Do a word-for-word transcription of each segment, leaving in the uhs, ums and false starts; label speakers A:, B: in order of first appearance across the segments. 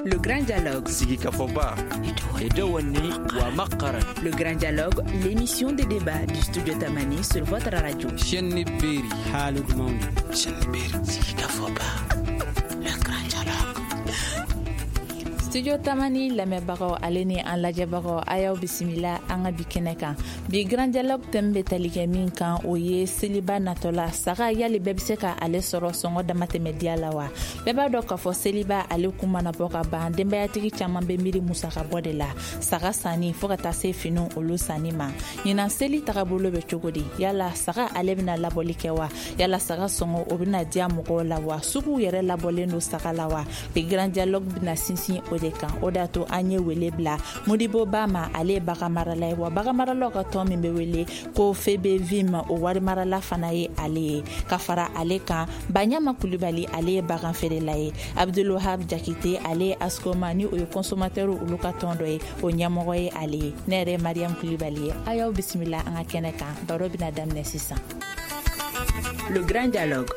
A: Le Grand Dialogue.
B: Sigikafɔba.
A: Le Grand Dialogue, l'émission de débat du Studio Tamani sur votre radio. Le Grand Dialogue.
C: Studio Tamani lamɛnbagaw ale ni an lajɛbagaw, a y'aw bisimila an ka bi kɛnɛ kan. Bi Grand Dialogue thème bɛ tali kɛ min kan, o ye seliba natɔla saga, yali bɛɛ bɛ se ka ale sɔrɔ sɔngɔ damatɛmɛ diya la wa? Bɛɛ b'a dɔn k'a fɔ seliba ale kun mana bɔ ka ban, denbayatigi caman bɛ miiri musaka bɔ de la, saga sanni fo ka taa se finiw olu sanni ma. Ɲinan seli tagabolo bɛ cogo di? Yala saga ale bɛna labɔli kɛ wa? Yala saga sɔngɔ o bɛna diya mɔgɔw la wa? Suguw yɛrɛ labɔlen don saga la wa? Bi Grand Dialogue bɛna sinsin o de kan. O de y'a to an ye wele bila Modibo Ba ma, ale ye bagan marala ye, wa bagan maralaw ka tɔn min bɛ wele ko F B V I M, o wari marala fana ye ale ye. Ka fara ale kan, Baɲama Kulibali, ale ye bagan feerela ye. Abdulwahab Jakite, ale ye Ascoma, ni o ye consommateur olu ka tɔn dɔ ye, o ɲɛmɔgɔ ye ale ye. Ne yɛrɛ ye Mariam Kulibali ye, a y'aw bisimila an ka kɛnɛ kan. Baro bɛna daminɛ sisan.
A: Le Grand Dialogue.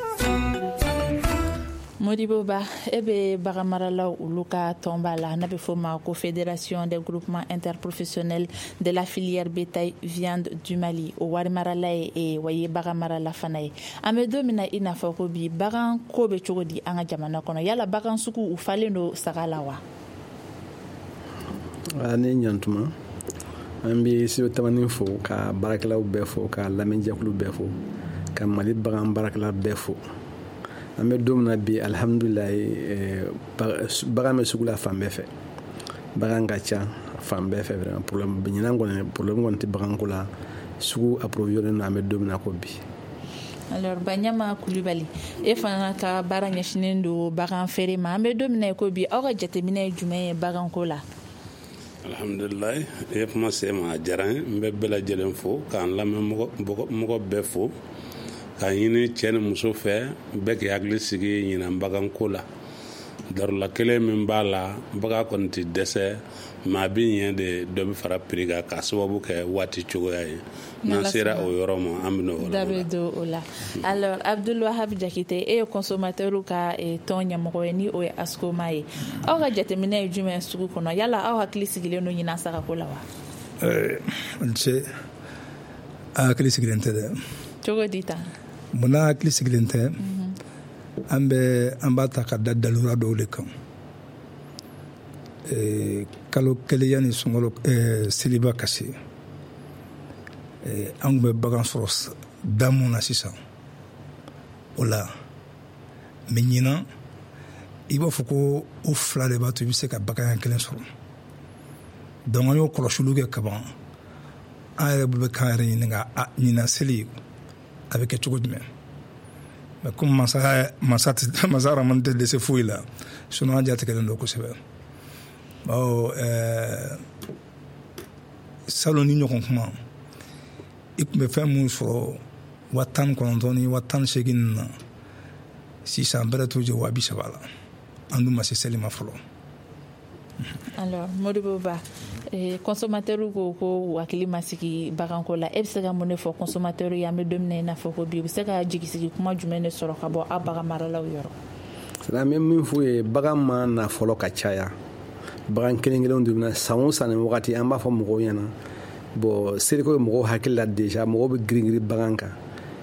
C: Modibo Ba, e bɛ bagan maralaw olu ka tɔnba la n'a bɛ fɔ o ma ko Fédération des groupements interprofessionnels de la filière bétail viande du Mali, o wari marala ye e wa i ye bagan marala fana ye. An bɛ don min na i n'a fɔ ko bi, bagan ko bɛ cogo di an ka jamana kɔnɔ? Yala bagan sugu u falen don saga la wa?
D: Ni ɲantuma, an bɛ Studio Tamani fo, ka baarakɛlaw bɛɛ fo, ka lamɛnjɛkulu bɛɛ fo, ka Mali bagan baarakɛla bɛɛ fo. An bɛ don min na bi, alihamudulilayi, bagan bɛ sugu la fan bɛɛ fɛ, bagan ka ca fan bɛɛ fɛ. Vraiment, problème ɲinan kɔni, problème kɔni tɛ baganko la, sugu approvisionné don an bɛ don min na ko bi.
C: Alors Baɲama Kulibali, e fana ka baara ɲɛsinnen don bagan feere ma. An bɛ don min na i ko bi, aw ka jateminɛ ye jumɛn ye baganko la?
E: Alhamdulilayi, i ye kuma se ma, a diyara n ye. N bɛ bɛɛ lajɛlen fo, k'an lamɛn mɔgɔ bɛɛ fo, k'a ɲini cɛ ni muso fɛ, bɛɛ k'i hakili sigi ɲinan baganko la. Darula kelen min b'a la, bagan kɔni tɛ dɛsɛ, maa bɛ ɲɛ de dɔ bɛ fara prix kan k'a sababu kɛ waati cogoya ye. N'an sera o yɔrɔ ma, an bɛ n'o
C: da bɛ don o la. Alors Abdulwahab Jakite, e ye consommateur ka tɔn ɲɛmɔgɔ ye, ni o ye Ascoma ye. Aw ka jateminɛ ye jumɛn sugu kɔnɔ? Yala aw hakili sigilen don ɲinan sagako la wa?
F: N ce, a hakili sigilen tɛ dɛ.
C: Cogo di tan?
F: Munna hakili sigilen tɛ? An bɛ an b'a ta ka da dalura dɔw de kan. Kalo kelen yanni sunkalo seliba ka se, an tun bɛ bagan sɔrɔ da mun na sisan o la, mɛ ɲinan i b'a fɔ ko o fila de b'a to i bɛ se ka bagan kelen sɔrɔ. Donc an y'o kɔlɔsiliw kɛ kaban, an yɛrɛ bɛ k'an yɛrɛ ɲininka, a ɲinan seli a bɛ kɛ cogo jumɛn? Mɛ komi masa masa masa Ramani tɛ dɛsɛ foyi la, sinon an jatigɛlen don kosɛbɛ, bawo ɛɛ salon ni ɲɔgɔn kuma, i tun bɛ fɛn mun sɔrɔ wa tan ni kɔnɔntɔn ni wa tan ni seegin ninnu na, sisan bɛrɛ t'o jɛ wa bi saba la. An dun ma se seli ma fɔlɔ.
C: Alors Modibo Ba, eh, consommateur ko ko hakili ma sigi baganko la, e bɛ se ka mun de fɔ consommateur ye an bɛ don min na i n'a fɔ ko bi? U bɛ se ka jigisigi kuma jumɛn de sɔrɔ ka bɔ aw bagan maralaw yɔrɔ?
D: C'est an bɛ min f'u ye, bagan ma na fɔlɔ ka caya, bagan kelen kelenw de bɛ na. San o san nin wagati, an b'a fɔ mɔgɔw ɲɛna, bon, seliko ye mɔgɔw hakili la déjà, mɔgɔw bɛ girin girin bagan kan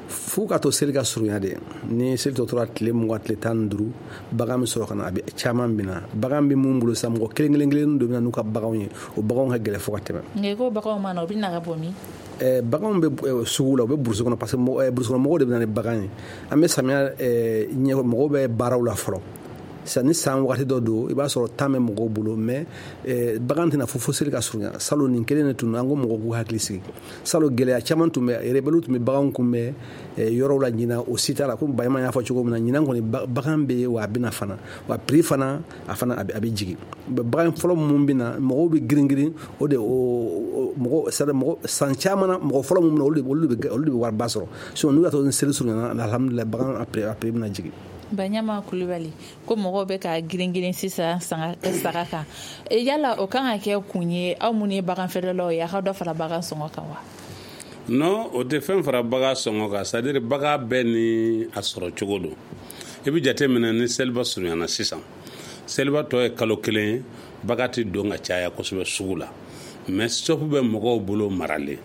D: f'u ka to seli ka surunya de. Ni seli tɔ tora tile mugan, tile tan ni duuru, bagan bɛ sɔrɔ ka na, a bɛ caman bɛ na. Bagan bɛ mun bolo sisan, mɔgɔ kelen kelen kelen dɔ bɛ na n'u ka baganw ye, o baganw ka gɛlɛn fo ka tɛmɛ.
C: Nka i ko baganw ma na, u bɛ na ka bɔ min?
D: Eh, baganw bɛ sugu la, u bɛ burusi kɔnɔ, parce que burusi kɔnɔ mɔgɔw de bɛ na ni bagan ye. An bɛ samiya ɲɛ, mɔgɔw bɛ baaraw la fɔlɔ. Sisan ni san wagati dɔ don, i b'a sɔrɔ tan bɛ mɔgɔw bolo, mais bagan tɛna fo fo seli ka surunya. Salon nin kelen de tun, an ko mɔgɔw k'u hakili sigi. Salon gɛlɛya caman tun bɛ, rebelles tun bɛ baganw kunbɛn yɔrɔw la. Ɲinan o si t'a la. Komi Bayima y'a fɔ cogo min na, ɲinan kɔni bagan bɛ yen wa, a bɛna fana wa, prix fana a fana a bɛ jigin. Bagan fɔlɔ mun bɛ na, mɔgɔw bɛ girin girin o de, o mɔgɔ, c'est à dire mɔgɔ san caman na, mɔgɔ fɔlɔ mun bɛ na, olu de olu de bɛ olu de bɛ wariba sɔrɔ. Sinon n'u y'a to ni seli surunyana, alhamdulilayi, bagan a prix a prix bɛna jigin.
C: Baɲama Kulibali, ko mɔgɔw bɛ ka girin girin sisan saga kan, yala o kan ka kɛ kun ye aw minnu ye bagan feerelaw ye, a ka dɔ fara bagan sɔngɔ kan wa?
E: Non, o tɛ fɛn fara bagan sɔngɔ kan. C'est à dire bagan bɛɛ ni a sɔrɔ cogo don. I bɛ jate minɛ, ni seliba surunyana sisan, Seliba tɔ ye kalo kelen ye, bagan tɛ don ka caya kosɛbɛ sugu la, mais stock bɛ mɔgɔw bolo maralen.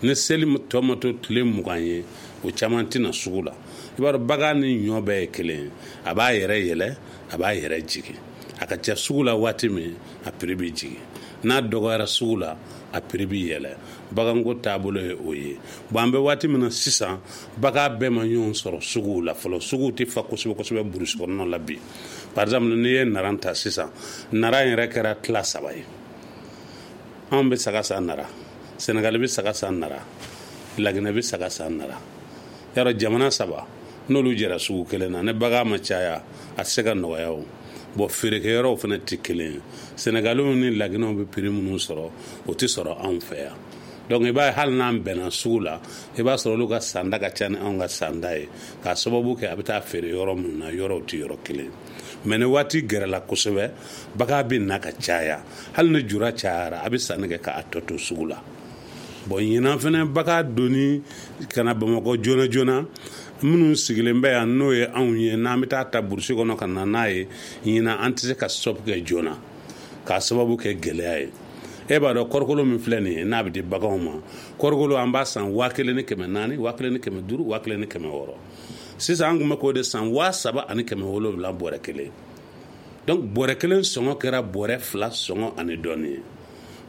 E: Ni seli tɔ ma to tile mugan ye, o caman tɛna sugu la. I b'a dɔn bagan ni ɲɔ bɛɛ ye kelen ye, a b'a yɛrɛ yɛlɛ, a b'a yɛrɛ jigin. A ka ca sugu la waati min, a prix bɛ jigin. N'a dɔgɔyara sugu la, a prix bɛ yɛlɛ. Baganko taabolo ye o ye. Bon, an bɛ waati min na sisan, bagan bɛɛ ma ɲɔgɔn sɔrɔ suguw la fɔlɔ. Suguw tɛ fa kosɛbɛ kosɛbɛ burusi kɔnɔna la bi. Par exemple, n'i ye naran ta sisan, naran yɛrɛ kɛra tila saba ye. Anw bɛ saga san nara, Senegali bɛ saga san nara, Laginɛ bɛ saga san nara. Yarɔ jamana saba n'olu jɛra sugu kelen na, ni bagan ma caya, a tɛ se ka nɔgɔya o. Bon, feerekɛyɔrɔw fana tɛ kelen ye. Senegaliw ni Laginɛw bɛ prix minnu sɔrɔ, o tɛ sɔrɔ anw fɛ yan. Donc i b'a ye hali n'an bɛnna sugu la, i b'a sɔrɔ olu ka sanda ka ca ni anw ka sanda ye, k'a sababu kɛ a bɛ taa feere yɔrɔ minnu na, yɔrɔw tɛ yɔrɔ kelen. Mais ni waati gɛrɛla kosɛbɛ, bagan bɛ na ka caya. Hali ni jura cayara, a bɛ sanni kɛ k'a tɔ to sugu la. Bon, ɲinan fana bagan donni ka na Bamakɔ joona joona, minnu sigilen bɛ yan n'o ye anw ye, n'an bɛ taa ta burusi kɔnɔ ka na n'a ye, ɲinan an tɛ se ka stop kɛ joona, k'a sababu kɛ gɛlɛya ye. E b'a dɔn kɔrikolo min filɛ nin ye, n'a bɛ di baganw ma, kɔrikolo an b'a san waa kelen ni kɛmɛ naani, waa kelen ni kɛmɛ duuru, waa kelen ni kɛmɛ wɔɔrɔ. Sisan an tun bɛ k'o de san waa saba ani kɛmɛ wolonwula bɔrɛ kelen. Donc bɔrɛ kelen sɔngɔ kɛra bɔrɛ fila sɔngɔ ani dɔɔnin ye.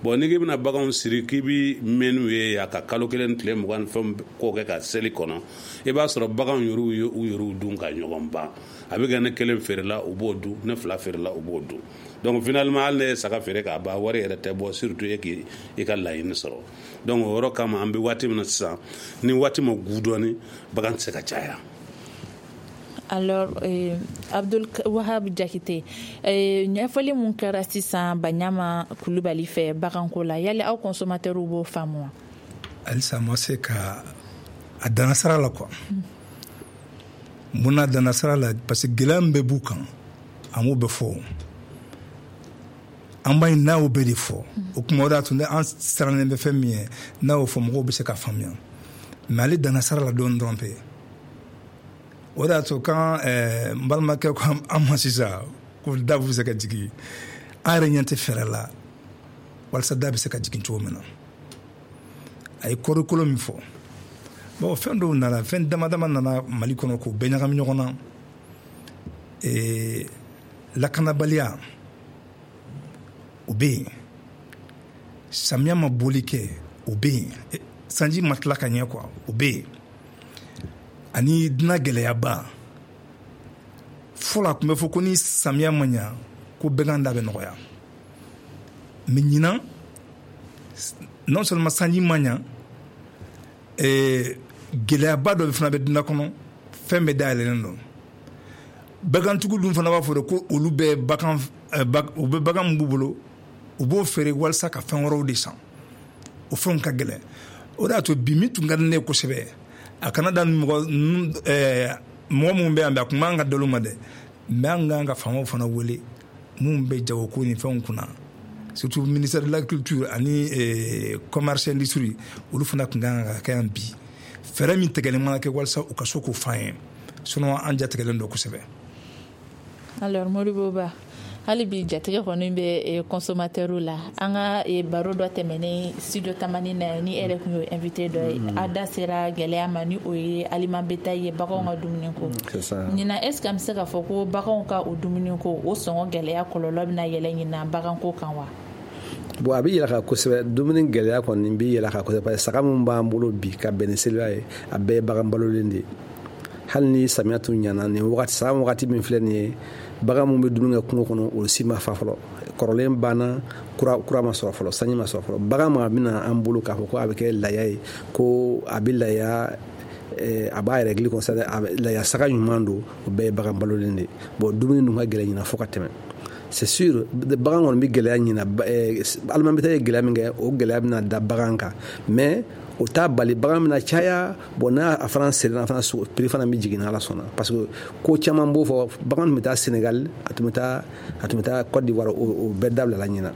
E: Bon, n'i k'i bɛna baganw siri k'i bɛ mɛn n'u ye yan ka kalo kelen tile mugan ni fɛnw ko kɛ ka seli kɔnɔ, i b'a sɔrɔ baganw yɛrɛw ye u yɛrɛw dun ka ɲɔgɔn ban. A bɛ kɛ ne kelen feerela u b'o dun, ne fila feerela u b'o dun. Donc finalement hali ne ye saga feere k'a ban, wari yɛrɛ tɛ bɔ, surtout e k'i ka laɲini sɔrɔ. Donc o yɔrɔ kama an bɛ waati min na sisan, ni waati ma gu dɔɔnin, bagan tɛ se ka caya.
C: Alors, eh, Abdul Wahab Jakite, eh, ɲɛfɔli mun kɛra sisan Baɲama Kulubali fɛ baganko la, yali aw consommateurs b'o faamu wa?
F: Halisa ma se ka a danna sara la quoi. Mun na danna sara la? Parce que gɛlɛya min bɛ b'u kan, an b'o bɛɛ fɔ. An b'a ye n'a y'o bɛɛ de fɔ. O kuma o de y'a to ne an sirannen bɛ fɛn min ye, n'a y'o fɔ mɔgɔw bɛ se ka faamuya. Mais ale danna sara la dɔɔnin dɔrɔn pe. O de y'a to kan n balimakɛ ko an ma sisan ko da bɛ se ka jigin, an yɛrɛ ɲɛ tɛ fɛɛrɛ la walasa da bɛ se ka jigin cogo min na. A ye kɔɔrikolo min fɔ, bon, fɛn dɔw nana, fɛn dama dama nana Mali kɔnɔ k'o bɛɛ ɲagami ɲɔgɔn na. Ee, lakanabaliya o bɛ yen, samiya ma boli kɛ o bɛ yen, sanji ma tila ka ɲɛ quoi, o bɛ yen, ani dunan gɛlɛyaba. Fɔlɔ a tun bɛ fɔ ko ni samiya ma ɲa ko bɛgan da bɛ nɔgɔya, mais ɲinan non seulement sanji ma ɲa, gɛlɛyaba dɔ fana bɛ dunan kɔnɔ, fɛn bɛɛ dayɛlɛlen don. Bagantigiw dun fana b'a fɔ de ko olu bɛ bagan, u bɛ bagan min b'u bolo, u b'o feere walasa ka fɛn wɛrɛw de san, o fɛnw ka gɛlɛn. O de y'a to bi min tun ka di ne ye kosɛbɛ, a kana da mɔgɔ mɔgɔ minnu bɛ yan bi, a tun b'an ka dalo ma dɛ, mais an k'an ka faamaw fana wele minnu bɛ jagoko ni fɛnw kunna, surtout ministère de l'agriculture ani commerce industrie, olu fana tun kan ka kɛ yan bi. Fɛɛrɛ min tigɛlen mana kɛ walasa u ka se k'o f'an ye, sinon an jatigɛlen don kosɛbɛ.
C: Alors Modibo Ba, hali bi jatigɛ kɔni bɛ consommateur la. An ka baro dɔ tɛmɛnen studio Tamani na, ni e yɛrɛ tun y'o invité dɔ ye, a da sera gɛlɛya ma ni o ye aliment bétail ye, baganw ka dumuni ko. Ɲinan est ce que an bɛ se k'a fɔ ko baganw ka o dumuni ko, o sɔngɔ gɛlɛya kɔlɔlɔ bɛna yɛlɛ ɲinan baganko kan wa?
D: Bon, a bɛ yɛlɛ kan kosɛbɛ. Dumuni gɛlɛya kɔni bɛ yɛlɛ kan kosɛbɛ, parce que saga min b'an bolo bi ka bɛn ni seliba ye, a bɛɛ ye bagan balolen de ye. Hali ni samiya tun ɲana nin wagati, san wagati min filɛ nin ye, bagan min bɛ dumuni kɛ kungo kɔnɔ, o si ma fa fɔlɔ, kɔrɔlen banna, kura kura ma sɔrɔ fɔlɔ, sanji ma sɔrɔ fɔlɔ. Bagan ma bɛna an bolo k'a fɔ ko a bɛ kɛ laya ye, ko a bɛ laya, a b'a yɛrɛ gili kɔnɔ, laya saga ɲuman don, o bɛɛ ye bagan balolen de ye. Bon, dumuni dun ka gɛlɛn ɲina fo ka tɛmɛ. C'est sûr, bagan kɔni bɛ gɛlɛya ɲina, aliment bétail ye gɛlɛya min kɛ, o gɛlɛya bɛna da bagan kan, mais o t'a bali bagan bɛna caya. Bon, n'a a fana serena fana, prix fana bɛ jigin n'Ala sɔnna, parce que ko caman b'o fɔ. Bagan tun bɛ taa Sénégal, a tun bɛ taa a tun bɛ taa Côte d'Ivoire, o bɛɛ dabilala ɲina.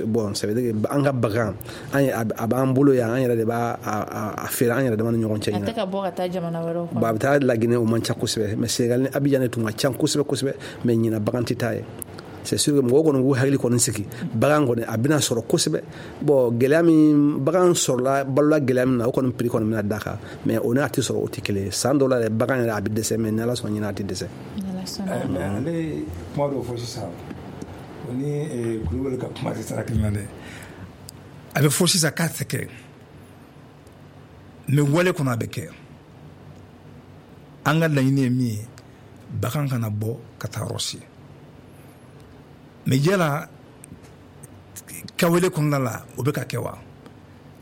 D: Bon, ça veut dire que an ka bagan, an a b'an bolo yan, an yɛrɛ de b'a a feere an yɛrɛ dama ni ɲɔgɔn cɛ ɲina.
C: A tɛ ka bɔ ka taa jamana wɛrɛw kɔnɔ.
D: Bon, a bɛ taa Laginɛ, o man ca kosɛbɛ, mais Sénégal ni Abidjan de tun ka ca kosɛbɛ kosɛbɛ, mais ɲina bagan tɛ taa ye. C'est sûr que mɔgɔw kɔni k'u hakili kɔni sigi, bagan kɔni a bɛna sɔrɔ kosɛbɛ. Bon, gɛlɛya min bagan sɔrɔla, balola gɛlɛya min na, o kɔni prix kɔni bɛna da kan, mais o n'a tɛ sɔrɔ, o tɛ kelen ye. San dɔw la yɛrɛ, bagan yɛrɛ a bɛ dɛsɛ, mais ni Ala sɔnna ɲinɛ a tɛ dɛsɛ.
F: Mais ale ye kuma dɔw fɔ sisan, o ni Kulubali ka kuma tɛ sara kelen na dɛ. A bɛ fɔ sisan k'a tɛ kɛ, mais wale kɔnɔ a bɛ kɛ. An ka laɲini ye min ye, bagan kana bɔ ka taa yɔrɔ si. Mais yala kawele kɔnɔna la, o bɛ ka kɛ wa?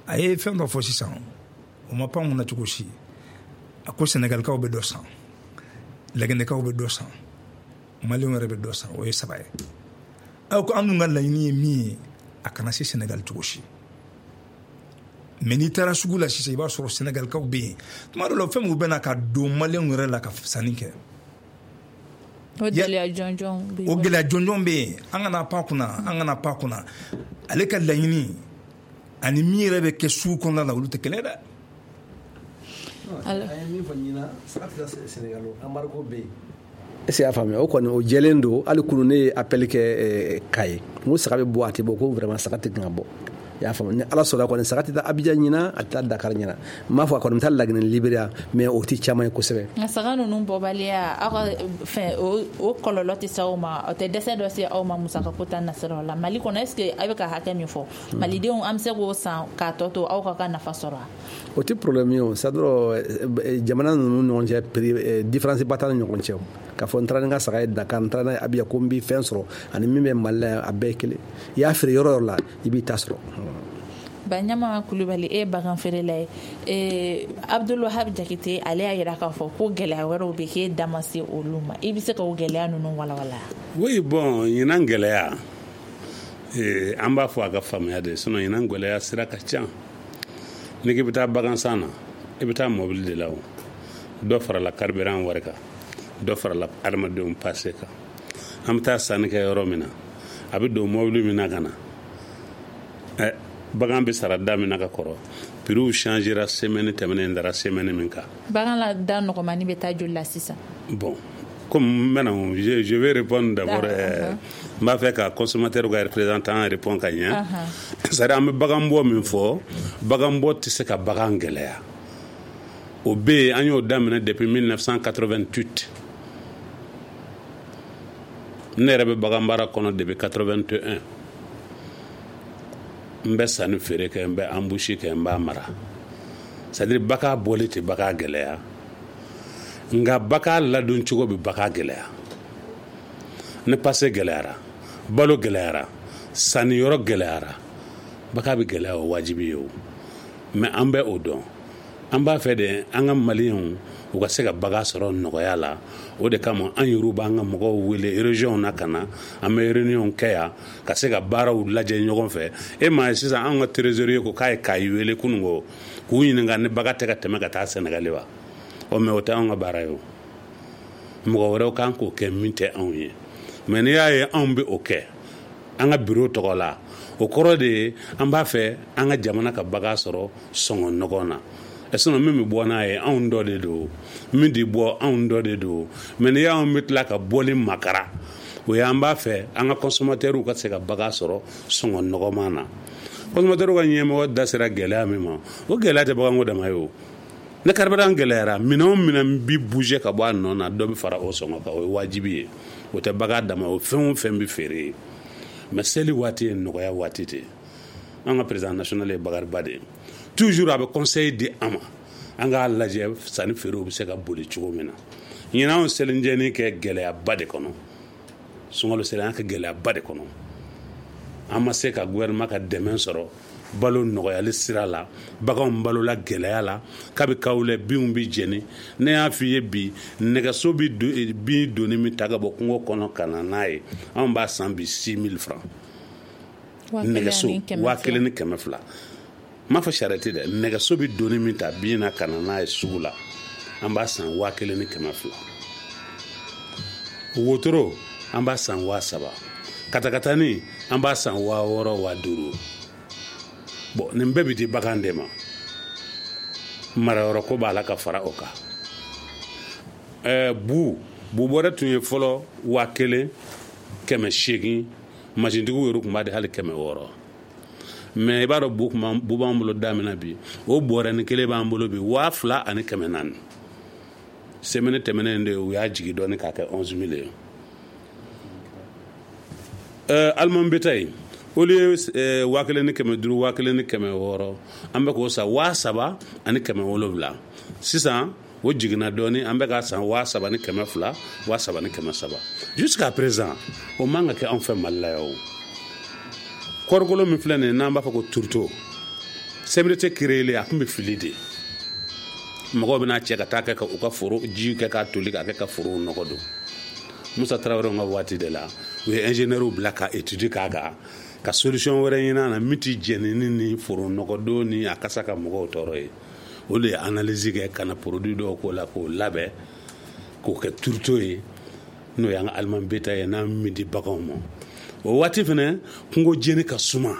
F: A ye fɛn dɔ fɔ sisan, o ma pan kunna cogo si. A ko Sɛnɛgalikaw bɛ dɔ san, Laginɛkaw bɛ dɔ san, Maliyɛnw yɛrɛ bɛ dɔ san. O ye saba ye. Aw ko an dun ka laɲini ye min ye, a kana se Sɛnɛgali cogo si. Mais n'i taara sugu la sisan, i b'a sɔrɔ Sɛnɛgalikaw bɛ yen. Tuma dɔw la, fɛn min bɛ na ka don Maliyɛnw yɛrɛ la ka sanni kɛ,
C: o gɛlɛya jɔnjɔn bɛ
F: o gɛlɛya jɔnjɔn bɛ yen. An kana pan kunna, an kana pan kunna. Ale ka laɲini ani min yɛrɛ bɛ kɛ sugu kɔnɔna la, olu tɛ kelen ye dɛ.
D: A ye min fɔ ɲinan, saga tɛ taa Sénégal, embargo bɛ yen. Est ce que y'a faamuya? O kɔni o jɛlen don. Hali kunun ne ye appel kɛ Kaye, n ko saga bɛ bɔ, a tɛ bɔ? Ko vraiment saga tɛ kan ka bɔ. I y'a faamu? Ni Ala sɔnna kɔni, saga tɛ taa Abidjan ɲinan, a tɛ taa Dakar ɲinan. N m'a fɔ a kɔni bɛ taa Laginɛ, Libéria, mais o tɛ caman ye kosɛbɛ.
C: Nka saga ninnu bɔbaliya, aw ka fɛn o kɔlɔlɔ tɛ se aw ma? O tɛ dɛsɛ dɔ se aw ma musakako ta nasiraw la Mali kɔnɔ? Est ce que a bɛ ka hakɛ min fɔ malidenw, an bɛ se k'o san k'a tɔ to aw ka ka nafa sɔrɔ wa?
D: O tɛ problème ye o. C'est à dire jamana ninnu ɲɔgɔn cɛ, prix différence ba t'an ni ɲɔgɔn cɛ. K'a fɔ n taara ni n ka saga ye Dakar, n taara n'a ye Abidjan, ko n bɛ fɛn sɔrɔ, ani min bɛ Mali la yan, a bɛɛ ye kelen. I y'a feere yɔrɔ yɔrɔ la, i b'i ta sɔrɔ.
C: Baɲama Kulubali, e ye bagan feerela ye. Ee Abdulwahab Jakite, ale y'a yira k'a fɔ ko gɛlɛya wɛrɛw bɛ k'e da ma se olu ma. I bɛ se ka o gɛlɛya ninnu walawala?
E: Oui, bon, ɲinan gɛlɛya, ee an b'a fɔ a ka faamuya de, sinon ɲinan gɛlɛya sira ka ca. N'i k'i bɛ taa bagan san na, i bɛ taa mobili de la. O dɔ farala carburant wari kan, dɔ farala adamadenw passe kan. An bɛ taa sanni kɛ yɔrɔ min na, a bɛ don mobili min na ka na, ɛ bagan bɛ sara da min na ka kɔrɔ, prix changera semaine tɛmɛnen dara semaine min kan.
C: Bagan la da nɔgɔmani bɛ taa joli la sisan?
E: Bon, comme maintenant je, je vais répondre d'abord, euh, n b'a fɛ ka consommateur ka représentant répond ka ɲɛ. C'est à dire an bɛ bagan bɔ min fɔ, bagan bɔ tɛ se ka bagan gɛlɛya. O bɛ yen, an y'o daminɛ depuis mille neuf cent quatre-vingt-huit. Ne yɛrɛ bɛ bagan baara kɔnɔ depuis quatre-vingt-un. N bɛ sanni feere kɛ, n bɛ embouche kɛ, n b'a mara. C'est à dire bagan bɔli tɛ bagan gɛlɛya, nka bagan ladon cogo bɛ bagan gɛlɛya. Ni passe gɛlɛyara, balo gɛlɛyara, sanniyɔrɔ gɛlɛyara, bagan bɛ gɛlɛya. O wajibi ye o. Mais an bɛ o dɔn, an b'a fɛ de an ka Maliyɛnw u ka se ka bagan sɔrɔ nɔgɔya la. O de kama an yɛrɛw b'an ka mɔgɔw wele région na ka na, an bɛ réunion kɛ yan ka se ka baaraw lajɛ ɲɔgɔn fɛ. E m'a ye sisan, anw ka trésorier ko k'a ye Kayi wele kununko k'u ɲininka ni bagan tɛ ka tɛmɛ ka taa Sɛnɛgali wa. Ɔ mais o tɛ anw ka baara ye. O mɔgɔ wɛrɛw kan k'o kɛ min tɛ anw ye. Mais n'i y'a ye anw bɛ o kɛ an ka bureau tɔgɔ la, o kɔrɔ de ye an b'a fɛ an ka jamana ka bagan sɔrɔ sɔngɔ nɔgɔ na. Sinon min bɛ bɔ n'a ye, anw dɔ de don. Min tɛ bɔ, anw dɔ de don. Mais n'i y'anw bɛ tila ka bɔli makara, o ye an b'a fɛ an ka consommateurs ka se ka bagan sɔrɔ sɔngɔ nɔgɔman na. Consommateurs ka ɲɛmɔgɔ da sera gɛlɛya min ma, o gɛlɛya tɛ baganko dama ye. O ne carburant gɛlɛyara, minɛn o minɛn bi bouger ka bɔ a nɔ na, dɔ bɛ fara o sɔngɔ kan. O ye wajibi ye, o tɛ bagan dama, o fɛn o fɛn bɛ feere ye. Mais seli waati ye nɔgɔya waati de ye. An ka président national ye Bakariba de ye. Toujours a bɛ conseil di an ma, an k'a lajɛ sanni feerew bɛ se ka boli cogo min na. Ɲinan anw selinjɛni kɛ gɛlɛyaba de kɔnɔ. Sunkalo seli, an kɛ gɛlɛyaba de kɔnɔ. An ma se ka gouvernement ka dɛmɛ sɔrɔ balo nɔgɔyali sira la. Baganw balola gɛlɛya la. Kabi kawulɛ, binw bi jɛni. Ne y'a f'i ye bi, nɛgɛso bi bin doni min ta ka bɔ kungo kɔnɔ ka na n'a ye, anw b'a san bi six mille francs nɛgɛso, waa kelen ni kɛmɛ fila. N m'a fɔ charrette dɛ. Nɛgɛso bi doni min ta bin na ka na n'a ye sugu la, an b'a san waa kelen ni kɛmɛ fila. Wotoro, an b'a san waa saba. Katakatani, an b'a san waa wɔɔrɔ, waa duuru. Bon, nin bɛɛ bi di bagan de ma. Marayɔrɔ ko b'a la ka fara o kan. Ɛɛ bu bu bɔrɛ tun ye fɔlɔ waa kelen. kɛmɛ seegin, masintigiw yɛrɛ tun b'a di hali kɛmɛ wɔɔrɔ. Mais i b'a dɔn bu kun bu b'an bolo da min na bi, o bɔrɛnin kelen b'an bolo bi waa fila ani kɛmɛ naani. Semaine tɛmɛnen de u y'a jigin dɔɔni k'a kɛ onze mille ye. Euh, aliment bétail au lieu euh, waa kelen ni kɛmɛ duuru, waa kelen ni kɛmɛ wɔɔrɔ, an bɛ k'o san waa saba ani kɛmɛ wolonwula. Sisan o jiginna dɔɔni, an bɛ k'a san waa saba ni kɛmɛ fila, waa saba ni kɛmɛ saba. Jusqu'à présent o man ka kɛ anw fɛ Mali la yan o. Kɔɔrikolo min filɛ nin ye n'an b'a fɔ ko tourteau, C M D T créé a tun bɛ fili de. Mɔgɔw bɛna cɛ ka taa kɛ ka u ka foro ji kɛ k'a toli k'a kɛ ka forow nɔgɔ don. Musa Tarawele ka waati de la u ye ingénieur bila ka étude k'a kan, ka solution wɛrɛ ɲini a na min ti jɛnini ni foro nɔgɔdon ni a kasa ka mɔgɔw tɔɔrɔ ye. O de ye analyse kɛ ka na produit dɔw k'o la k'o labɛn k'o kɛ tourteau ye, n'o y'an ka aliment bétail ye n'an min di baganw ma. O waati fɛnɛ kungo jeni ka suma,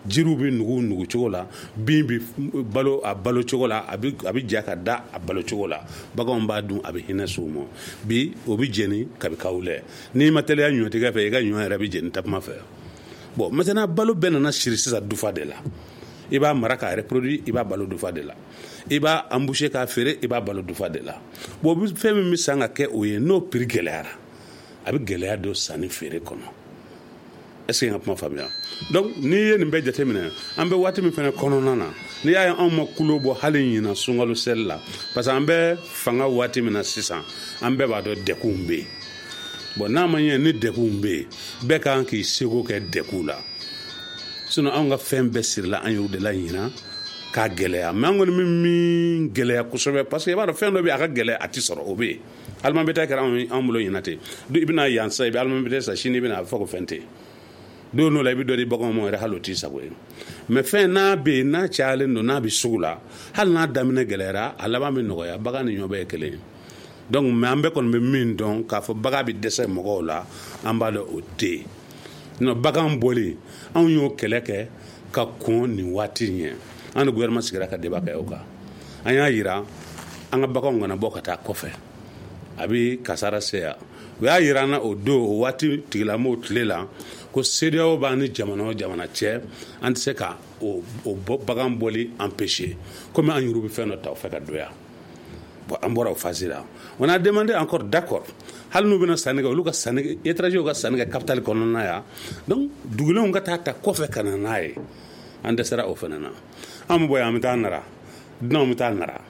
E: jiriw bɛ nugu nugu cogo la, bin bɛ balo a balo cogo la, a bɛ a bɛ ja ka da a balo cogo la, baganw b'a dun, a bɛ hinɛ s'u ma. Bi o bɛ jeni kabi kawulɛ, n'i ma teliya ɲɔtigɛ fɛ i ka ɲɔ yɛrɛ bɛ jeni takuma fɛ. Bon maintenant balo bɛɛ nana siri sisan dufa de la. I b'a mara k'a reproduire, i b'a balo dufa de la, i b'a emboucher k'a feere, i b'a balo dufa de la. Bon fɛn min bɛ san ka kɛ o ye, n'o prix gɛlɛyara, a bɛ gɛlɛya don sanni feere kɔnɔ. Est-ce que n ka kuma faamuya? Donc n'i ye nin bɛɛ jateminɛ, an bɛ waati min fɛnɛ kɔnɔna na, n'i y'a ye anw ma kulo bɔ hali ɲinan sunkalo seli la, parce que an bɛ fanga waati min na sisan, an bɛɛ b'a dɔn degunw bɛ yen. Bon n'a ma ɲɛ ni degunw bɛ yen, bɛɛ kan k'i seko kɛ degun la. Sinon anw ka fɛn bɛɛ sirila an yɛrɛ de la ɲinan k'a gɛlɛya. Mais an kɔni bɛ min gɛlɛya kosɛbɛ, parce que i b'a dɔn fɛn dɔ bɛ yen a ka gɛlɛya a ti sɔrɔ, o bɛ yen. Aliment bétail kɛra anw bolo ɲinan ten. I bɛna yan sisan, i bɛ aliment bétail san, sini i bɛna a bɛ fɔ ko fɛn tɛ yen. Don dɔ la i bɛ dɔ di baganw ma yɛrɛ, hali o t'i sago ye. Mais fɛn n'a bɛ yen, n'a cayalen don, n'a bɛ sugu la, hali n'a daminɛ gɛlɛyara, a laban bɛ nɔgɔya, bagan ni ɲɔ bɛɛ ye kelen ye. Donc mais an bɛɛ kɔni bɛ min dɔn k'a fɔ bagan bɛ dɛsɛ mɔgɔw la, an b'a dɔn o tɛ yen. Sinon bagan bɔli, anw y'o kɛlɛ kɛ ka kɔn nin waati ɲɛ. An ni gouvernement sigira ka débat kɛ o kan. An y'a yira an ka baganw kana bɔ ka taa kɔfɛ, a bɛ kasara se yan. U y'a yira an na o don, o waati tigilamɔgɔw tile la, ko CEDEAO b'an ni jamana o jamana cɛ, an tɛ se ka o o bagan bɔli empêcher, komi an yɛrɛ bɛ fɛn dɔ ta o fɛ ka don yan. Bon an bɔra o phase la, on a demandé encore d'accord, hali n'u bɛna sanni kɛ, olu ka sanni kɛ, étrangers ka sanni kɛ capitale kɔnɔna yan, donc dugulenw ka taa ta kɔfɛ ka na n'a ye. An dɛsɛra o fana na. An bɛ bɔ yan, an bɛ taa Nara, dunanw bɛ taa Nara.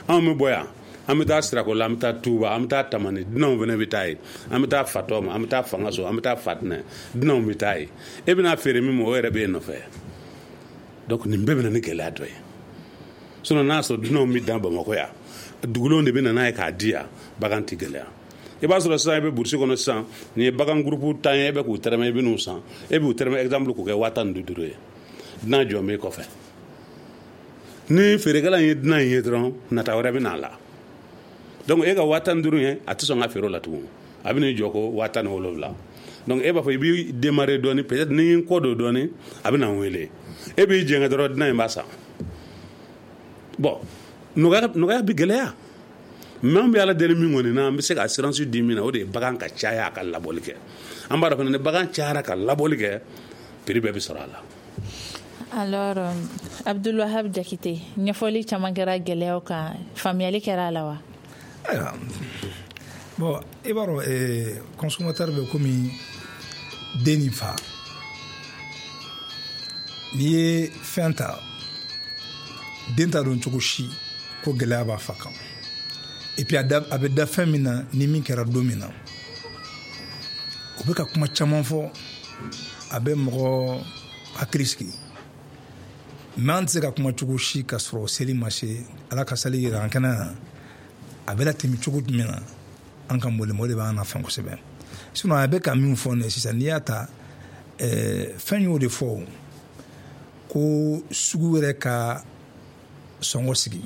E: Anw bɛ bɔ yan, an bɛ taa Sirakola, an bɛ taa Tuba, an bɛ taa Tamani, dunanw fana bɛ taa yen. An bɛ taa Fatɔma, an bɛ taa Fangaso, an bɛ taa Fatinɛ, dunanw bɛ taa yen. E bɛna feere min ma, o yɛrɛ bɛ yen nɔfɛ. Donc nin bɛɛ bɛ na ni gɛlɛya dɔ ye. Sinon n'a sɔrɔ dunanw bɛ dan Bamakɔ yan, dugulenw de bɛ na n'a ye k'a di yan, bagan tɛ gɛlɛya. I b'a sɔrɔ sisan i bɛ burusi kɔnɔ sisan, nin ye bagan groupe tan ye, e bɛ k'u tɛrɛmɛ, i bɛ n'u san, e b'u tɛrɛmɛ exemple k'o kɛ waa tan ni duuru ye. Dunan jɔ b'i kɔfɛ. Ni feerekɛla in ye dunan in ye dɔrɔn, nata wɛrɛ bɛ n'a la. Donc e ka waa tan ni duuru ye, a tɛ sɔn ka feere o la tugun, a bɛ n'i jɔ ko waa tan ni wolonwula. Donc e b'a fɔ i b'i démarrer dɔɔni, peut-être ni n kɔ don dɔɔni, a bɛ na n wele. E b'i jɛngɛ dɔrɔn, dunan in b'a san. Bon nɔgɔya nɔgɔya bɛ gɛlɛya. Mais an bɛ Ala deli min kɔni na, an bɛ se ka assurance di min na, o de ye bagan ka caya a ka labɔli kɛ. An b'a dɔn fana ni bagan cayara ka labɔli kɛ, prix bɛɛ bɛ sɔrɔ a la.
C: Alors euh, Abdoul Wahab Diakité, ɲɛfɔli caman kɛra gɛlɛyaw kan, faamuyali kɛra a la wa?
F: Ayiwa, bon i b'a dɔn eh, consommateur bɛ komi den ni fa. N'i ye fɛn ta, den t'a dɔn cogo si ko gɛlɛya b'a fa kan. Et puis a bɛ da fɛn min na, ni min kɛra don min na, o bɛ ka kuma caman fɔ, a bɛ mɔgɔ hakili sigi. Mais an tɛ se ka kuma cogo si ka sɔrɔ seli ma se, Ala ka sali yira an kɛnɛ na, a bɛ latɛmɛ cogo jumɛn na, an ka mɔli mɔli b'an na fɛn kosɛbɛ. Sinon a bɛ ka min fɔ nin ye sisan, n'i y'a ta ɛɛ fɛn y'o de fɔ ko sugu yɛrɛ ka sɔngɔ sigi.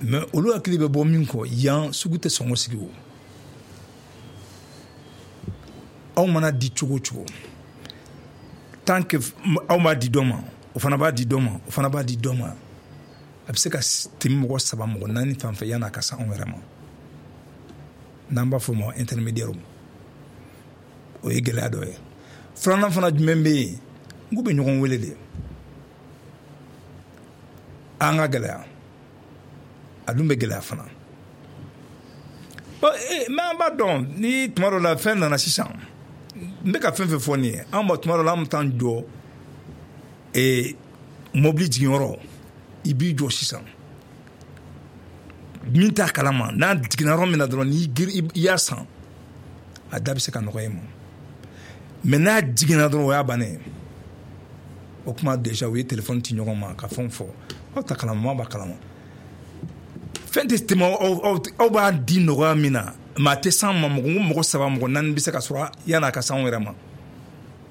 F: Mais olu hakili bɛ bɔ min kɔ, yan sugu tɛ sɔngɔ sigi o. Aw mana di cogo o cogo, tant que aw b'a di dɔ ma, o fana b'a di dɔ ma, o fana b'a di dɔ ma, a bɛ se ka tɛmɛ mɔgɔ saba mɔgɔ naani fan fɛ yan'a ka se anw yɛrɛ ma, n'an b'a fɔ o ma intermédiaire. O ye gɛlɛya dɔ ye. Filanan fana jumɛn bɛ yen? N k'u bɛ ɲɔgɔn wele de. An ka gɛlɛya, a dun bɛ gɛlɛya fana. Bon, mais an b'a dɔn ni tuma dɔ la fɛn nana sisan, n bɛ ka fɛn fɛn fɔ nin ye, an b'a tuma dɔ la an bɛ taa jɔ ee mobili jiginyɔrɔ, i b'i jɔ sisan, min t'a kalama, n'a jiginna yɔrɔ min na dɔrɔn, n'i girin i y'a san, a da bɛ se ka nɔgɔya i ma. Mais n'a jiginna dɔrɔn, o y'a bannen ye. O kuma déjà u ye téléphone ci ɲɔgɔn ma ka fɛnw fɔ, aw ta kalama, maa b'a kalama. Fɛn tɛ tɛmɛ aw aw b'a di nɔgɔya min na, mais a tɛ s'an ma. Mɔgɔ mɔgɔ saba, mɔgɔ naani bɛ se ka sɔrɔ yan'a ka s'anw yɛrɛ ma.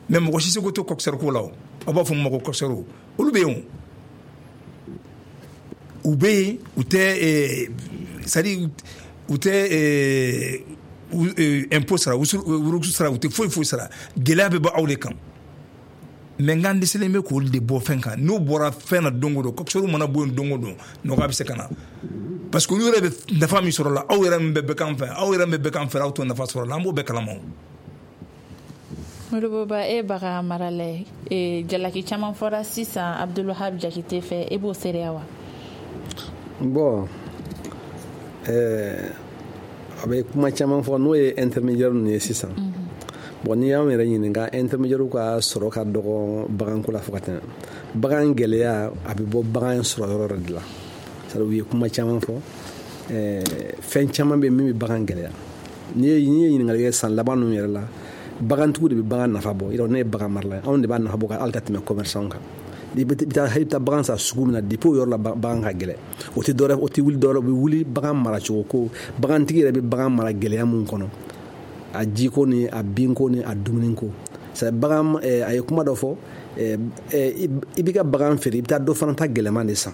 F: Mais mɔgɔ si seko tɛ coxeur ko la o. Aw b'a fɔ mun ma ko coxeur, olu bɛ yen o. U bɛ yen, u tɛ, c'est à dire u tɛ impôt sara, wuruku sara, u tɛ foyi foyi sara. Gɛlɛya bɛ bɔ aw de kan. Mais n k'an dɛsɛlen bɛ k'olu de bɔ fɛn kan. N'o bɔra fɛn na don o don, coxeur mana bɔ yen don o don, nɔgɔya bɛ se ka na. Parce que olu yɛrɛ bɛ nafa min sɔrɔ la, aw yɛrɛ min bɛ bɛɛ kan fɛ, aw yɛrɛ min bɛ bɛɛ kan fɛ, aw t'o nafa sɔrɔ la, an b'o bɛɛ kalama o.
C: Modibo Ba, e bagan marala ye, jalaki caman fɔra sisan Abdulwahab Jakite fɛ, e b'o seereya wa?
D: Bon, ɛɛ a bɛ kuma caman fɔ, n'o ye intermédiaire ninnu ye sisan. Bon, n'i y'anw yɛrɛ ɲininka, intermédiaire ka sɔrɔ ka dɔgɔ baganko la fo ka tɛmɛ. Bagan gɛlɛya a bɛ bɔ bagan sɔrɔ yɔrɔ de la. C'est à dire u ye kuma caman fɔ, ɛɛ fɛn caman bɛ min bɛ bagan gɛlɛya. N'i ye n'i ye ɲininkali kɛ san laban ninnu yɛrɛ la, bagantigiw de bɛ bagan nafa bɔ. Yɔrɔ ne ye bagan marala ye, anw de b'a nafa bɔ hali ka tɛmɛ commerçant kan. I bɛ taa i bɛ taa bagan san sugu min na, depuis o yɔrɔ la bagan ka gɛlɛn. O tɛ dɔwɛrɛ, o tɛ wuli dɔwɛrɛ, o bɛ wuli bagan maracogo ko. Bagantigi yɛrɛ bɛ bagan mara gɛlɛya mun kɔnɔ, a jiko ni a binko ni a dumuniko. C'est bagan, a ye kuma dɔ fɔ, i b'i ka bagan feere, i bɛ taa dɔ fana ta gɛlɛman de san.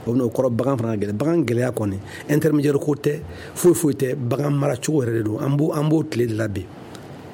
D: O bɛna o kɔrɔ bagan fana ka gɛlɛn. Bagan gɛlɛya kɔni intermédiaire ko tɛ, foyi foyi tɛ, bagan maracogo yɛrɛ de don. An b'o an b'o tile de la bi.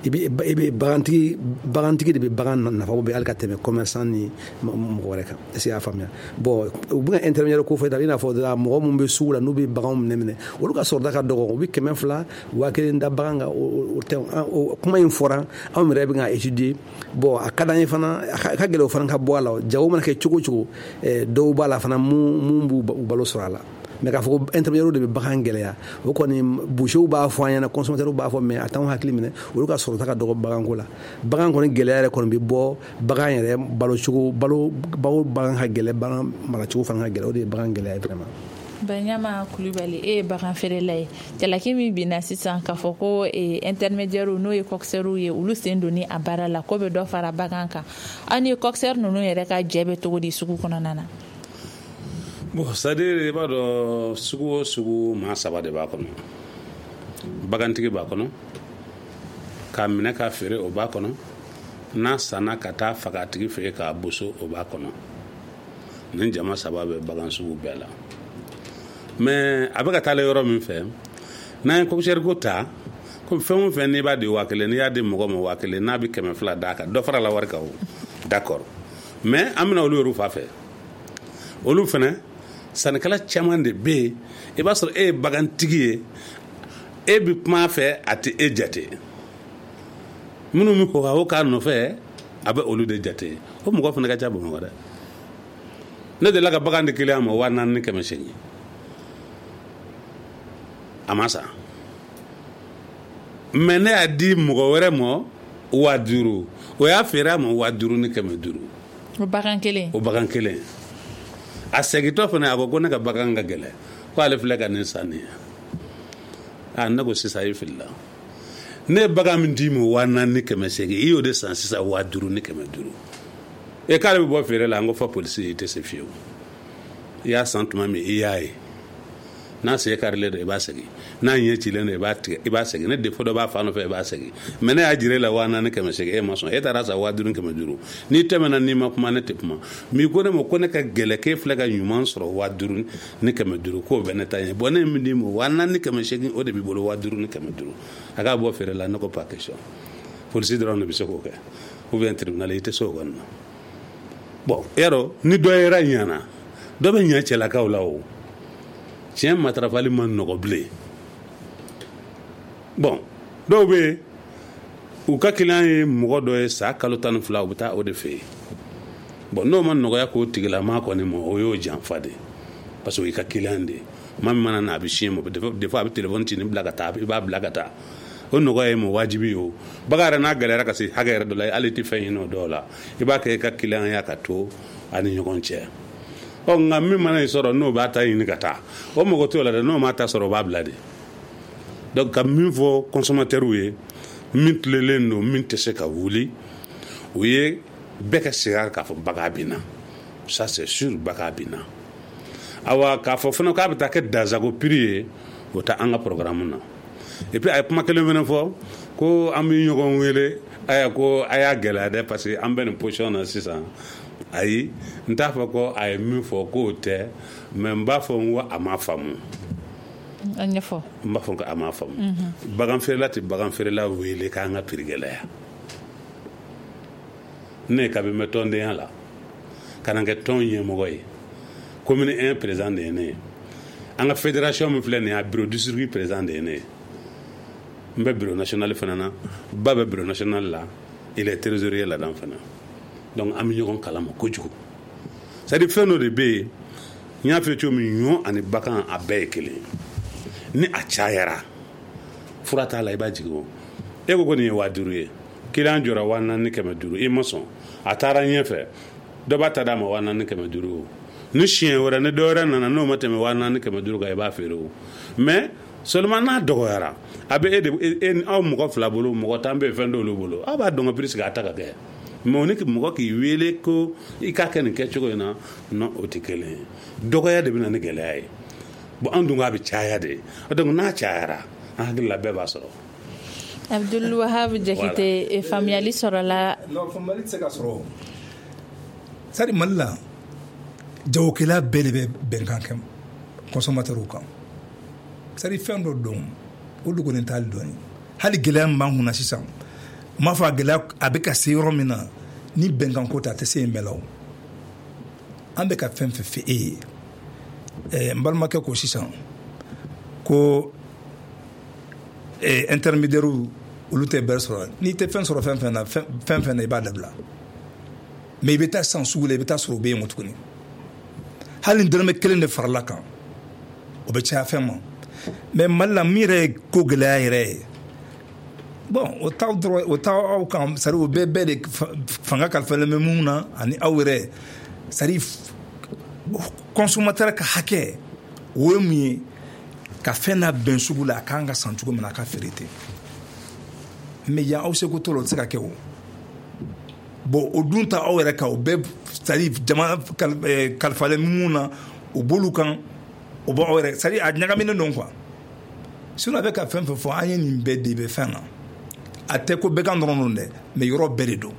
D: I bɛ i bɛ bagantigi bagantigi de bɛ bagan nafa bɔ hali ka tɛmɛ commerçant ni mɔgɔ wɛrɛ kan. Est-ce que i y'a faamuya? Bon, u bɛ ka intermédiaire ko fɔ i n'a fɔ mɔgɔ minnu bɛ sugu la, n'u bɛ baganw minɛ minɛ, olu ka sɔrɔda ka dɔgɔ, u bɛ kɛmɛ fila waa kelen da bagan kan. O tɛ, o kuma in fɔra, anw yɛrɛ bɛ ka étudier. Bon, a ka d'an ye fana, a ka gɛlɛn o fana ka bɔ a la. Jago mana kɛ cogo o cogo, dɔw b'a la fana mun b'u balo sɔrɔ a la. Mais k'a fɔ ko intermédiaire de bɛ bagan gɛlɛya, o kɔni bouchers b'a fɔ an ɲɛna, consommateurs b'a fɔ, mais a t'anw hakili minɛ. Olu ka sɔrɔta ka dɔgɔ baganko la. Bagan kɔni gɛlɛya yɛrɛ kɔni bɛ bɔ bagan yɛrɛ balocogo, balo balo bagan ka gɛlɛn, bagan maracogo fana ka gɛlɛn, o de ye bagan gɛlɛya ye vraiment.
C: Baɲama Kulubali, e ye bagan feerela ye. Jalaki min binna sisan k'a fɔ ko intermédiaire n'o ye coxeur ye, olu sen don a baara la, ko bɛ dɔ fara bagan kan. Aw ni coxeur ninnu yɛrɛ ka jɛ bɛ cogo di sugu kɔnɔna na?
E: Bon, c'est-à-dire i b'a dɔn, sugu o sugu maa saba de b'a kɔnɔ. Bagantigi b'a kɔnɔ, k'a minɛ k'a feere o b'a kɔnɔ, n'a sanna ka taa faga a tigi fɛ yen k'a boso o b'a kɔnɔ. Nin jama saba bɛ bagan sugu bɛɛ la. Mais a bɛ ka taa yɔrɔ min fɛ, n'an ye coxeur ko ta, ko fɛn o fɛn n'i b'a di waa kelen, n'i y'a di mɔgɔ ma waa kelen, n'a bɛ kɛmɛ fila d'a kan, dɔ fara la wari kan o. D'accord. Mais an bɛna olu yɛrɛ fa fɛ. Olu fɛnɛ sannikɛla caman de bɛ yen, i b'a sɔrɔ e ye bagantigi ye, e bɛ kuma a fɛ, a tɛ e jate. Minnu bɛ kɔ o k'a nɔfɛ, a bɛ olu de jate. O mɔgɔ fana ka ca Bamakɔ dɛ. Ne delila ka bagan di kiliyan ma waa naani ni kɛmɛ seegin, a ma san. Mais ne y'a di mɔgɔ wɛrɛ ma waa duuru, o y'a feere a ma waa duuru ni kɛmɛ duuru.
C: O bagan kelen.
E: O bagan kelen. A segintɔ fana a ko ko ne ka bagan ka gɛlɛn, ko ale filɛ ka nin san nin ye. A ne ko sisan i filila. Ne ye bagan min d'i ma waa naani ni kɛmɛ seegin, i y'o de san sisan waa duuru ni kɛmɛ duuru. E k'ale bɛ bɔ feere la, n ko fɔ polisi i tɛ se fiyewu. I y'a san tuma min i y'a ye. N'a sen karilen don i b'a segin, n'a ɲɛ cilen don i b'a tigɛ i b'a segin, ne defo dɔ b'a fan nɔfɛ i b'a segin. Mais ne y'a jira e la waa naani kɛmɛ seegin, e ma sɔn, e taara san waa duuru kɛmɛ duuru. N'i tɛmɛna n'i ma kuma ne tɛ kuma. Mais ko ne ma ko ne ka gɛlɛn k'e filɛ ka ɲuman sɔrɔ waa duuru ni kɛmɛ duuru, k'o bɛ ne ta ɲɛ. Bon, ne ye min d'i ma waa naani kɛmɛ seegin, o de b'i bolo waa duuru ni kɛmɛ duuru. A k'a bɔ feere la, ne ko pas question. Polisi dɔrɔn de bɛ se k'o kɛ, ou bien tribunal, i tɛ se o kɔni na. Bon, yarɔ ni dɔ yɛrɛ ɲana, dɔ bɛ ɲɛ cɛlakaw la o. Tiɲɛ matarafali ma nɔgɔ bilen. Bon, dɔw bɛ yen, U ka client ye mɔgɔ dɔ ye sa kalo tan ni fila, u bɛ taa o de fɛ yen. Bon, n'o ma nɔgɔya k'o tigilama kɔni ma, o y'o janfa de, parce que o y'i ka client de ye. Maa min mana na, a bɛ siɲɛ ma, des fois a bɛ téléphone ci ni bila ka taa, i b'a bila ka taa. O nɔgɔya ye ma wajibi ye. O bagan yɛrɛ n'a gɛlɛyara ka se hakɛ yɛrɛ dɔ la, hali i tɛ fɛn ɲini o dɔw la, i b'a kɛ i ka client ya ka to a ni ɲɔgɔn cɛ. Ɔ, nka min mana i sɔrɔ n'o b'a ta ɲini ka taa, o mɔgɔ t'o la dɛ. N'o m'a ta sɔrɔ, o b'a bila de. Donc ka min fɔ consommateur ye, min tilelen don, min tɛ se ka wuli, o ye bɛɛ ka segin a kan k'a fɔ bagan bɛ na, ça c'est sûr, bagan bɛ na. Awa, k'a fɔ fana k'a bɛ taa kɛ dansago prix ye, o tɛ an ka programme na. Et puis a ye kuma kelen fana fɔ ko an bɛ ɲɔgɔn wele, aya ko a y'a gɛlɛya dɛ, parce que an bɛ nin position na sisan. Ayi, n t'a fɔ ko a ye min fɔ k'o tɛ, mais n b'a fɔ n ko a ma faamu.
C: A ɲɛfɔ.
E: N b'a fɔ ko a ma faamu. Bagan feerela tɛ bagan feerela wele k'an ka prix gɛlɛya. Ne kabi n bɛ tɔndenya la ka na kɛ tɔn ɲɛmɔgɔ ye, commune un président de ye ne ye. An ka fédération min filɛ nin ye, a bureau district président de ye ne ye. N bɛ bureau national fana na, ba bɛ bureau national la, il est trésorier là-dedans fana. Donc an bɛ ɲɔgɔn kalama kojugu. C'est à dire, fɛn dɔ de bɛ yen, n y'a f'i ye cogo min, ɲɔ ani bagan a bɛɛ ye kelen. Ni a cayara, fura t'a la, i b'a jigin. O e ko ko nin ye waa duuru ye, client jɔra waa naani kɛmɛ duuru, i ma sɔn, a taara ɲɛfɛ, dɔ b'a ta d'a ma waa naani kɛmɛ duuru. O ni siɲɛ wɛrɛ ni dɔ wɛrɛ nana, n'o ma tɛmɛ waa naani kɛmɛ duuru kan, i b'a feere. O mais seulement n'a dɔgɔyara, a bɛ e de e aw mɔgɔ fila bolo, mɔgɔ tan bɛ yen, fɛn t'olu bolo, aw b'a dɔn ka prix sigi a ta ka kɛ. Mais o ni mɔgɔ k'i wele ko i k'a kɛ nin kɛcogo in na, non, o tɛ kelen ye. Dɔgɔya de bɛ na ni gɛlɛya ye. Bon, an dun k'a bɛ caya de, donc n'a cayara, an hakili la bɛɛ b'a sɔrɔ.
C: Abdul Wahab Jakite, faamuyali sɔrɔla?
F: Non, faamuyali tɛ se ka sɔrɔ. C'est à dire, Mali la, jagokɛla bɛɛ de bɛ bɛnkan kɛ consommateur kan. C'est à dire, fɛn dɔ don, o dogolen t'ale dɔɔni. Hali gɛlɛya min b'an kunna sisan, n m'a fɔ a gɛlɛya a bɛ ka se yɔrɔ min na, ni bɛnkan ko tɛ, a tɛ se yen bɛɛ la. O an bɛ ka fɛn fɛn fɛ e ye, ɛɛ n balimakɛ ko sisan ko ɛɛ intermédiaire olu tɛ bɛrɛ sɔrɔ. N'i tɛ fɛn sɔrɔ fɛn fɛn na, fɛn fɛn na, i b'a dabila. Mais i bɛ taa san sugu la, i bɛ taa sɔrɔ o bɛ yen o tuguni. Hali ni dɔrɔmɛ kelen de farala kan, o bɛ caya fɛn ma. Mais Mali la, min yɛrɛ ye ko gɛlɛya yɛrɛ ye, bon, o t'aw dɔrɔn, o t'aw aw kan. C'est à dire, o bɛɛ bɛɛ de fanga kalifalen bɛ mun na ani aw yɛrɛ. C'est à dire, consommateur ka hakɛ, o ye mun ye? Ka fɛn labɛn sugu la, a kan ka san cogo min na, a ka feere ten. Mais yan, aw seko t'o la, o tɛ se ka kɛ. O bon, o dun ta aw yɛrɛ kan, o bɛɛ, c'est à dire, jama kalifalen mun na, o b'olu kan, o b'aw yɛrɛ. C'est à dire, a ɲagaminen don quoi. Sinon a bɛ ka fɛn fɛn fɔ, an ye nin bɛɛ de bɛ fɛn na. A tɛ ko bɛɛ kan dɔrɔn don dɛ, mais yɔrɔ bɛɛ de don.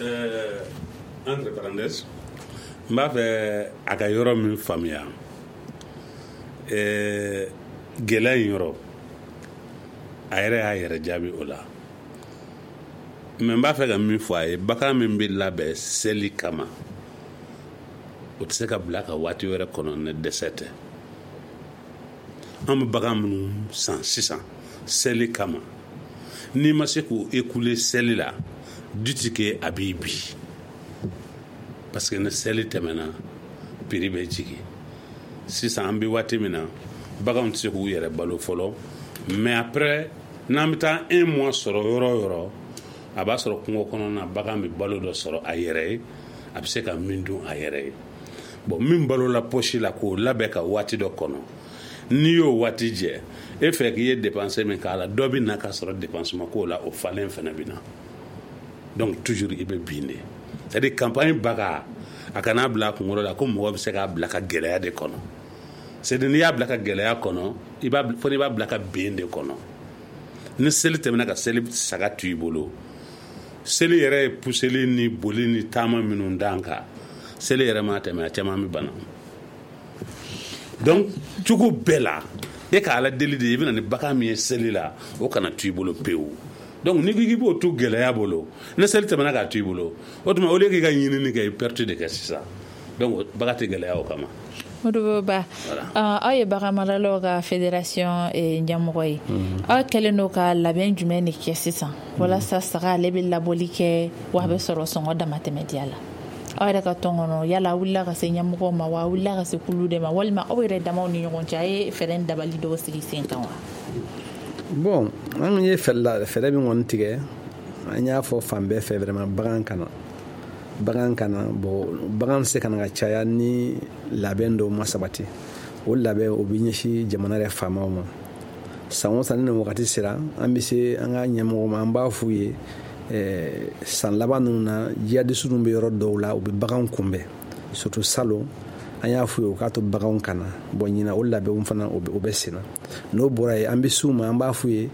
E: Euh, entre parenthèses, n b'a fɛ a ka yɔrɔ min faamuya, ɛɛ gɛlɛya in yɔrɔ, a yɛrɛ y'a yɛrɛ jaabi o la. Mais n b'a fɛ ka min fɔ a ye, bagan min bɛ labɛn seli kama, o tɛ se ka bila ka waati wɛrɛ kɔnɔ ni dɛsɛ tɛ. An bɛ bagan minnu san sisan seli kama, n'i ma se k'o écouler seli la, du que a b'i bi, parce que ni seli tɛmɛna, prix bɛ jigin. Sisan an bɛ waati min na, baganw tɛ se k'u yɛrɛ balo fɔlɔ. Mais après, n'an bɛ taa un mois sɔrɔ yɔrɔ o yɔrɔ, a b'a sɔrɔ kungo kɔnɔna bagan bɛ balo dɔ sɔrɔ a yɛrɛ ye, a bɛ se ka min dun a yɛrɛ ye. Bon, min balola poche la k'o labɛn ka waati dɔ kɔnɔ, n'i y'o waati jɛ, e fɛ k'i ye dépense min k'a la, dɔ bɛ na k'a sɔrɔ dépense ma k'o la, o falen fana bɛ na. Donc toujours i bɛ bin de. C'est à dire, campagne baga, a kana bila a kunkolo la ko mɔgɔ bɛ se k'a bila ka gɛlɛya de kɔnɔ. C'est à dire, n'i y'a bila ka gɛlɛya kɔnɔ, i b'a fo n'i b'a bila ka ben de kɔnɔ. Ni seli tɛmɛna, ka seli saga to i bolo, seli yɛrɛ ye puseli ni boli ni taama minnu d'an kan, seli yɛrɛ ma tɛmɛ, a caman bɛ bana. Donc cogo bɛɛ la, e ka Ala deli de, i bɛna ni bagan min ye seli la, o kana to i bolo pewu. Donc n'i ko k'i b'o to gɛlɛya bolo, ni seli tɛmɛna k'a to i bolo, o tuma au lieu k'i ka ɲinini kɛ, i perte de kɛ sisan. Donc bagan tɛ gɛlɛya o kama.
C: Modibo Ba, aw ye baganmaralaw ka fédération ɲɛmɔgɔ ye, aw kɛlen don ka labɛn jumɛn de kɛ sisan walasa saga ale bɛ labɔli kɛ wa a bɛ sɔrɔ sɔngɔ damatɛmɛ diya la? Aw yɛrɛ ka tɔn kɔnɔ, yala aw wulila ka se ɲɛmɔgɔw ma wa, aw wulila ka se kulu de ma, walima aw yɛrɛ damaw ni ɲɔgɔn cɛ, a ye fɛɛrɛ dabali dɔw sigi sen kan wa?
D: Bon, an ye fɛɛrɛ fɛɛrɛ min kɔni tigɛ, an y'a fɔ fan bɛɛ fɛ vraiment, bagan kana bagan kana bon, bagan tɛ se ka na ka caya ni labɛn dɔw ma sabati. O labɛn, o bɛ ɲɛsin jamana yɛrɛ faamaw ma. San o san ni nin wagati sera, an bɛ se an ka ɲɛmɔgɔw ma, an b'a f'u ye san laban ninnu na, jihadistes ninnu bɛ yɔrɔ dɔw la, u bɛ baganw kunbɛn, surtout salon. An y'a f'u ye u k'a to baganw kana. Bon, ɲinan o labɛnw fana o bɛ sen na. N'o bɔra yen, an bɛ s'u ma, an b'a f'u ye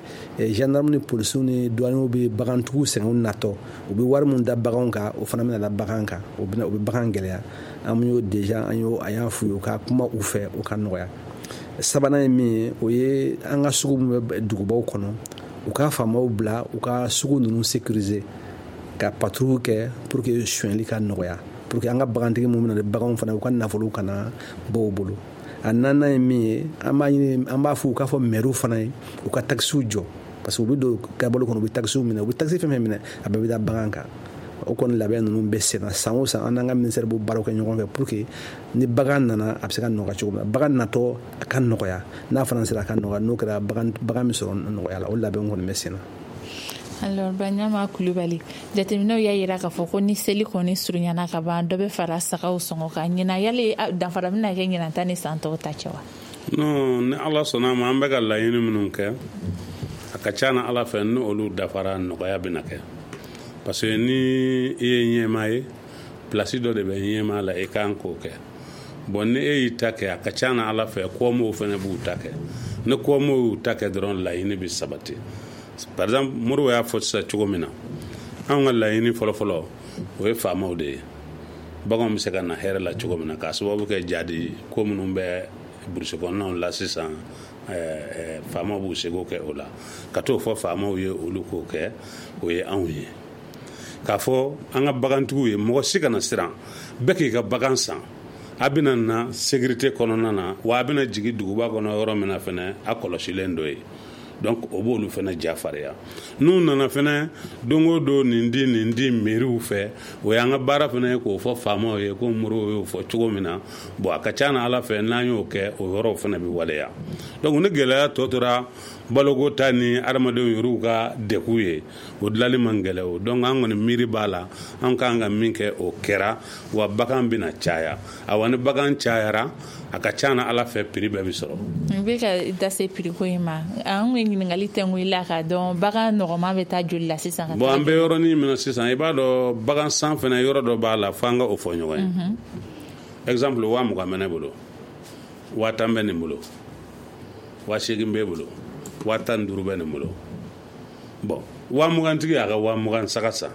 D: gendarme ni polisiw ni douaniers bɛ bagantigiw sɛgɛn u natɔ, u bɛ wari min da baganw kan, o fana bɛna da bagan kan, o bɛna o bɛ bagan gɛlɛya. An y'o déjà, an y'o an y'a f'u ye u ka kuma u fɛ, o ka nɔgɔya. Sabanan ye min ye, o ye an ka sugu min bɛ dugubaw kɔnɔ, u ka faamaw bila u ka sugu ninnu sécuriser, ka patrouille kɛ pour que sonyali ka nɔgɔya, pour que an ka bagantigi minnu bɛ na ni baganw fana, u ka nafolo kana bɔ u bolo. A naaninan ye min ye, an b'a ɲini, an b'a fɔ u k'a fɔ maires fana ye u ka taxes jɔ, parce que u bɛ don gabalo kɔnɔ, u bɛ taxes minɛ, u bɛ taxe fɛn fɛn minɛ, a bɛɛ bɛ da bagan kan. O kɔni labɛn ninnu bɛ sen na. San o san, an n'an ka ministère b'o baaraw kɛ ɲɔgɔn fɛ pour que ni bagan nana, a bɛ se ka nɔgɔya cogo min na, bagan natɔ a ka nɔgɔya, n'a fana sera a ka nɔgɔya, n'o kɛra bagan bagan bɛ sɔrɔ nɔgɔya la. O labɛn kɔni bɛ sen na.
C: Alors, Baɲama Kulubali, jateminɛw y'a yira k'a fɔ ko ni seli kɔni surunyana ka ban, dɔ bɛ fara sagaw sɔngɔ kan. Ɲinan, yali danfara bɛna kɛ ɲinan ta ni san tɔw ta cɛ wa?
E: Non, ni Ala sɔnna a ma, an bɛ ka laɲini minnu kɛ, a ka ca na Ala fɛ, ni olu dafara, nɔgɔya bɛna kɛ, parce que ni i ye ɲɛmaa ye, place dɔ de bɛ ɲɛmaa la, i kan k'o kɛ. Bon, ni e y'i ta kɛ, a ka ca na Ala fɛ, kɔmɔw fana b'u ta kɛ. Ni kɔmɔw y'u ta kɛ dɔrɔn, laɲini bɛ sabati. Par exemple, Modibo y'a fɔ sisan cogo min na, anw ka laɲini fɔlɔfɔlɔ, o ye faamaw de ye, baganw bɛ se ka na hɛrɛ la cogo min na, k'a sababu kɛ jadi ko minnu bɛ burusi kɔnɔnaw la sisan, faamaw b'u seko kɛ o la. Ka t'o fɔ faamaw ye, olu k'o kɛ, o ye anw ye k'a fɔ an ka bagantigiw ye, mɔgɔ si kana siran, bɛɛ k'i ka bagan san. A bɛna na sécurité kɔnɔna na wa, a bɛna jigin duguba kɔnɔ yɔrɔ min na fɛnɛ, a kɔlɔsilen dɔ ye. Donc o b'olu fɛnɛ ja farinya. N'u nana fɛnɛ, don o don, nin di nin di mairies fɛ, o y'an ka baara fɛnɛ ye k'o fɔ faamaw ye, ko Modibo y'o fɔ cogo min na. Bon, a ka ca na Ala fɛ, n'an y'o kɛ, o yɔrɔw fɛnɛ bɛ waleya. Donc ni gɛlɛya tɔ tora baloko ta ni adamadenw yɛrɛw ka degun ye, o dilanli man gɛlɛ o. Donc an kɔni miiri b'a la, an kan ka min kɛ, o kɛra wa. Bagan bɛna caya. Awa, ni bagan cayara, a ka ca na Ala fɛ, prix bɛɛ bɛ sɔrɔ.
C: N bɛ ka da se prix ko in ma. An ye ɲininkali tɛnku i la k'a dɔn bagan nɔgɔman bɛ taa joli la sisan ka
E: Bon, an bɛ yɔrɔnin min na sisan, i b'a dɔn, bagan san fɛnɛ, yɔrɔ dɔ b'a la, f'an ka o fɔ ɲɔgɔn ye. Exemple, waa mugan bɛ ne bolo, waa tan bɛ nin bolo, waa seegin b'e bolo, waa tan ni duuru bɛ nin bolo. Bon, waa mugantigi y'a ka waa mugan saga san,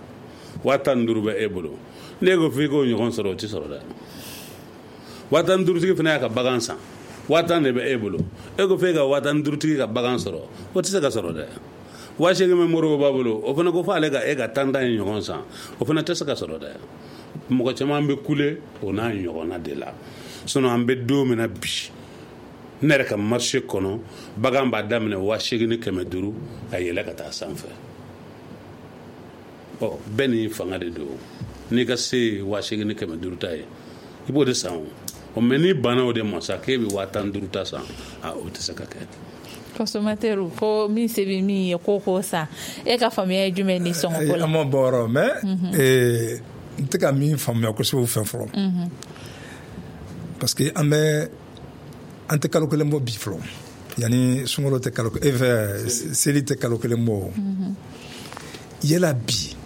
E: waa tan ni duuru bɛ e bolo. N'e ko f'i k'o ɲɔgɔn sɔrɔ, o tɛ sɔrɔ dɛ. Waa tan ni duurutigi fana y'a ka bagan san, waa tan de bɛ e bolo. E ko f'e ka waa tan ni duurutigi ka bagan sɔrɔ, o tɛ se ka sɔrɔ dɛ. Waa seegin bɛ Modibo b'a bolo, o fana ko f'ale ka e ka tan tan in ɲɔgɔn san, o fana tɛ se ka sɔrɔ dɛ. Mɔgɔ caman bɛ kule o n'a ɲɔgɔnna de la. Sinon, an bɛ don min na bi, ne yɛrɛ ka marché kɔnɔ, bagan b'a daminɛ waa seegin ni kɛmɛ duuru ka yɛlɛ ka taa sanfɛ. Ɔ, bɛɛ n'i fanga de don. N'i ka se ye waa seegin ni kɛmɛ duuru ta ye, i b'o de san. O mɛ, n'i banna o de ma sa, k'e bɛ waa tan duuru ta san, a o tɛ se ka kɛ.
C: Consommateur ko min se bɛ min ye, ko k'o san. E ka faamuya ye jumɛn ni sɔngɔ ko la?
F: An ma bɔ yɔrɔ mais n tɛ ka min faamuya kosɛbɛ o fɛ fɔlɔ, parce que an bɛ an tɛ kalo kelen bɔ bi fɔlɔ, yanni sunkalo tɛ kalo e fɛ, seli tɛ kalo kelen bɔ. Yala bi